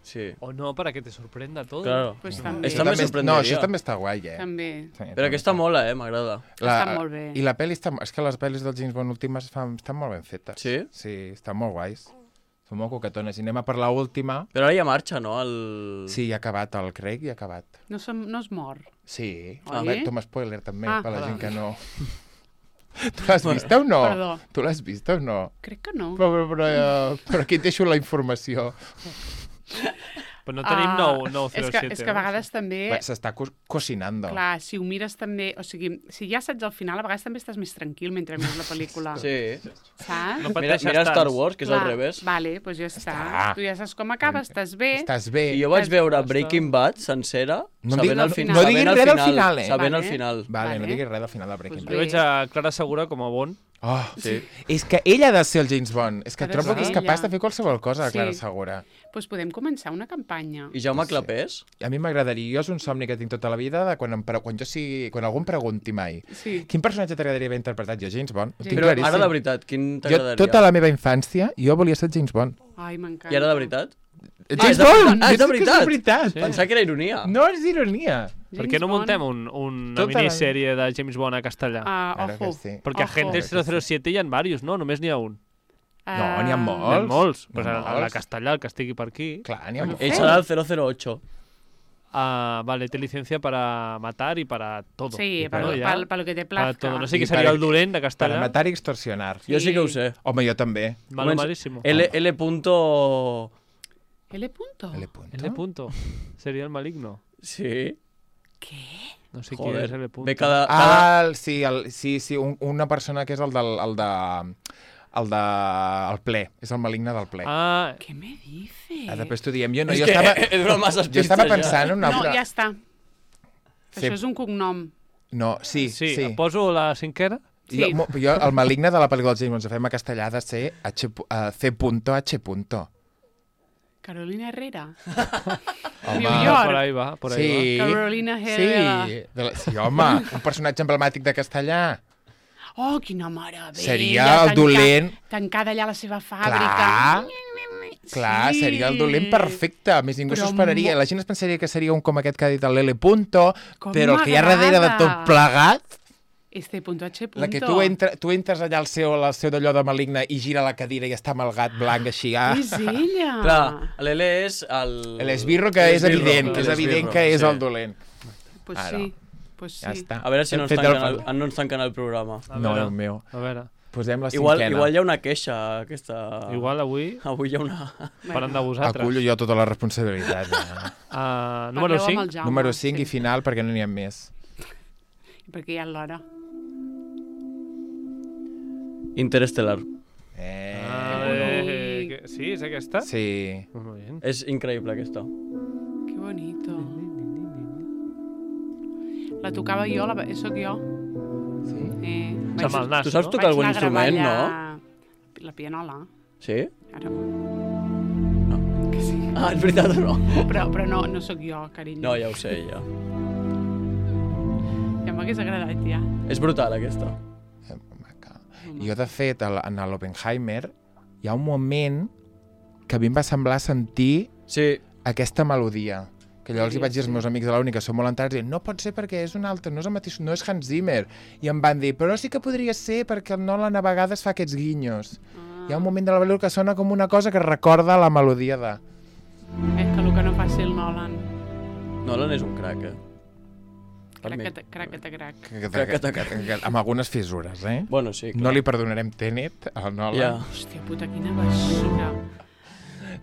Sí. O no, para que te sorprenda todo. Claro. Pues No. també. Això també No, sorprendria. això també està guai, També. Sí, Però aquesta mola, m'agrada. Està molt bé. I la pel·li està... És que les pel·lis del James Bond últimes estan molt ben fetes. Sí? Sí, estan molt guais. Són molt coquetones. I anem a per l'última. Però ara ja marxa, no? El... Sí, ja ha acabat. El Craig ja ha acabat. No es mor. Sí. Oi? Bé, toma spoiler també, Ah. per la gent que no... Tu l'has vista o no? Perdó. Tu l'has vista o no? Crec que no. Però aquí et deixo la informació. Però no tenim nou és 07. que a vegades també... Bé, s'està cocinando. Clar, si ho mires també... O sigui, si ja saps al final, a vegades també estàs més tranquil mentre mires la pel·lícula. Sí. Saps? No Mira, pateixes mira tant. Star Wars, que és al Clar, revés. Vale, doncs ja està. Tu ja saps com acaba, estàs bé. Estàs bé. I jo vaig Estàs- veure Breaking Bad sencera, No sabent diguis- al final. no diguis res del final, Sabent Vale. al final. Vale, no Vale. diguis res del final de Breaking Pues Jo Bad. veig a Clara Segura com a Bond. Oh, Sí. és que ella ha de ser el James Bond. És que Ha de trobo ser que és ella. capaç de fer qualsevol cosa, la Sí. Clara Segura. Doncs podem començar una campanya. I Jaume Clapés? A mi m'agradaria, jo és un somni que tinc tota la vida, de quan algú em pregunti mai Sí. quin personatge t'agradaria haver interpretat? Jo, James Bond. Ho tinc Però claríssim. ara de veritat, quin Jo, t'agradaria? tota la meva infància, jo volia ser James Bond. Ai, m'encanta. I ara de veritat? James és de- Bond! Ah, és de Jo dic que veritat? És de veritat! Sí. Pensava que era ironia. No és ironia. Per què no James muntem Bond. una Tota la- minissèrie de James Bond a castellà? Claro que Ojo. sí. Perquè Ojo. Agentes 007 hi ha diversos, no? Només n'hi ha un. No, n'hi ha N'hi ha molts. molts. N'hi Pues ha a la molts. castellà, el que estigui per aquí. Clar, n'hi ha molts. Ell serà el 008. Vale, té licencia para matar y para todo. Sí, para para lo que te Para plazca. todo. No sé I qui seria per- el dolent de Per castellà. matar i extorsionar. Jo sí que ho sé. Home, jo també. Malo Comença- malísimo. L. punto... L. punto. L. punto. L punto. Sería el maligno. Sí. No sé qui Joder. és L punto. Ve cada... Sí, una persona que és el ple. És el maligne del ple. Ah, ¿Qué me dices? Després t'ho diem. Jo, no, És jo, que estava, he donat masses jo pistes estava ja. pensant en un No, altre... ja està. Sí. Això és un cognom. No, sí. sí. Poso la cinquena? Sí. Jo, el maligne de la pel·lícula dels James Bond, si fem a castellà, ha de ser C.H. Carolina Herrera. Home. New York. Por ahí va, por ahí Sí. Carolina Sí, Herrera. sí, home, un personatge emblemàtic de castellà. Oh, quina meravella. Seria el dolent. Tancada allà a la seva fàbrica. Clar, Sí. seria el dolent perfecte. A més, ningú Però s'ho esperaria. La gent es pensaria que seria un com aquest que ha dit el Lele Punto, Com però el que hi ha darrere de tot m'agrada. plegat, Este punto H punto. la que tu entres allà al seu d'allò de maligne i gira la cadira i està amb el gat blanc així. És ella. Clar, l'Ele és el... L'esbirro que és l'esbirro, evident, que és l'esbirro, evident que és sí. el dolent. Pues Ara. sí, pues sí. Ja està. A veure si Hem no ens fet tanquen el programa. No, Déu meu. A veure, Posem la Igual cinquena. hi ha una queixa, aquesta... igual avui Avui hi ha una... faran de vosaltres. Acullo jo tota la responsabilitat. Número Parleu amb 5. el Jaume, Número 5 sí. i final, perquè no n'hi ha més. Perquè ja és l'hora. Interestelar. Sí, és aquesta? Sí. Molt bé. És increïble, aquesta. Que bonito. La tocava jo, sóc jo. Sí? Amb el nas, Tu saps no? tocar algun Vaig anar a gravar instrument, no? allà La pianola. Sí? Ara. Que sí. Ah, és veritat o no? Però no sóc jo, carinyo. No, ja ho sé, ja. Ja m'hagués agradat, ja. És brutal, aquesta. Maca. Jo, de fet, en l'Oppenheimer, hi ha un moment que a mi em va semblar sentir Sí, aquesta melodia. Que llavors Sí, hi vaig dir als sí. meus amics de la uni que són molt entrats i no pot ser perquè és un altre, no és el mateix, no és Hans Zimmer. I em van dir, però sí que podria ser perquè el Nolan a vegades fa aquests guinyos. Hi ha un moment de la pel·lícula que sona com una cosa que recorda la melodia de... És que el que no faci el Nolan. Nolan és un crac, eh? Per mi. Crac. Amb algunes fissures, eh? Bueno, sí, clar. No li perdonarem Tenet al Nolan. Ja. Hòstia puta, quina basura.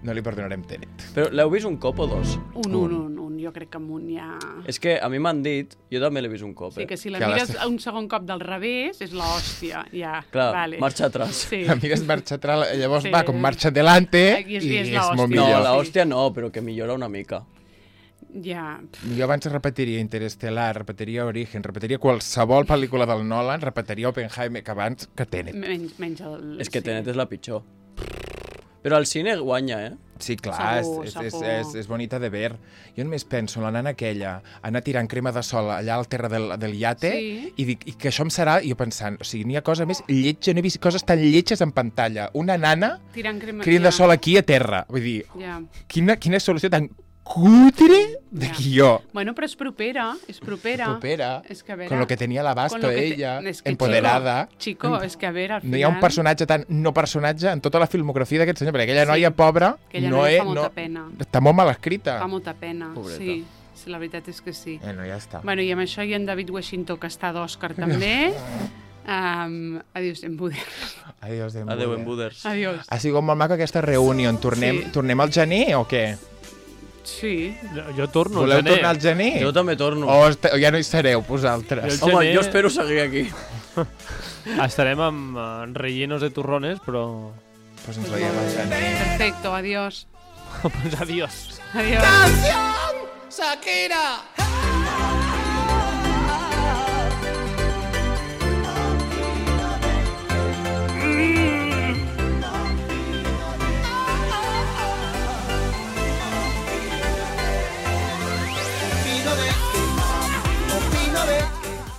No li perdonarem Tenet. Però l'heu vist un cop o dos? Un. Jo crec que amb un ja... És que a mi m'han dit, jo també l'he vist un cop, Sí, eh? que si la Que mires les- un segon cop del revés, és l'hòstia, ja. Clar, vale. marxa atrás. Sí. La mires marxa atrás, llavors Sí. va com marxa adelante I és i és l'hòstia. molt No, millor. l'hòstia no, però que millora una mica. Ja. Jo abans repetiria Interestelar, repetiria Origen, repetiria qualsevol pel·lícula del Nolan, repetiria Oppenheimer, que abans que Tenet. Menys el... És que sí. Tenet és la pitjor. Però el cine guanya, eh? Sí, clar, Segur. és bonita de ver. Jo només penso en la nana aquella, anar tirant crema de sol allà al terra del iate, Sí. i dic, i que això em serà, i jo pensant, o sigui, n'hi ha cosa més lletja, no he vist coses tan lletges en pantalla. Una nana Tirant crema... cridant de sol aquí a terra. Vull dir, Ja. quina solució tan cutre de guió. Bueno, però és propera. Propera, És que a veure... con lo que tenía el abasto con lo que te- ella, és que, empoderada. Chico, és que a veure, al final... No hi ha un personatge tan no personatge en tota la filmografia d'aquest senyor, perquè aquella Sí. noia pobra Aquella no noia és... fa molta No, pena. està molt mal escrita. Fa molta pena, Pobreta. sí. Sí, la veritat és que sí. No, ja està. Bueno, i amb això hi ha en David Washington, que està d'Òscar també. Adiós, en Buder. Adiós, Adeu, en Buders. Adiós. Ha sigut molt maca aquesta reunió. Sí. Tornem al gener o què? Sí. Jo torno al Voleu gener. tornar al gener? Jo també torno. O ja no hi sereu, vosaltres? Jo- Home, gener- jo espero seguir aquí. Estarem amb rellenos de turrones, però... Pues ens veiem al gener. Perfecto, adiós. pues adiós. Adiós. ¡Canción! ¡Shakira!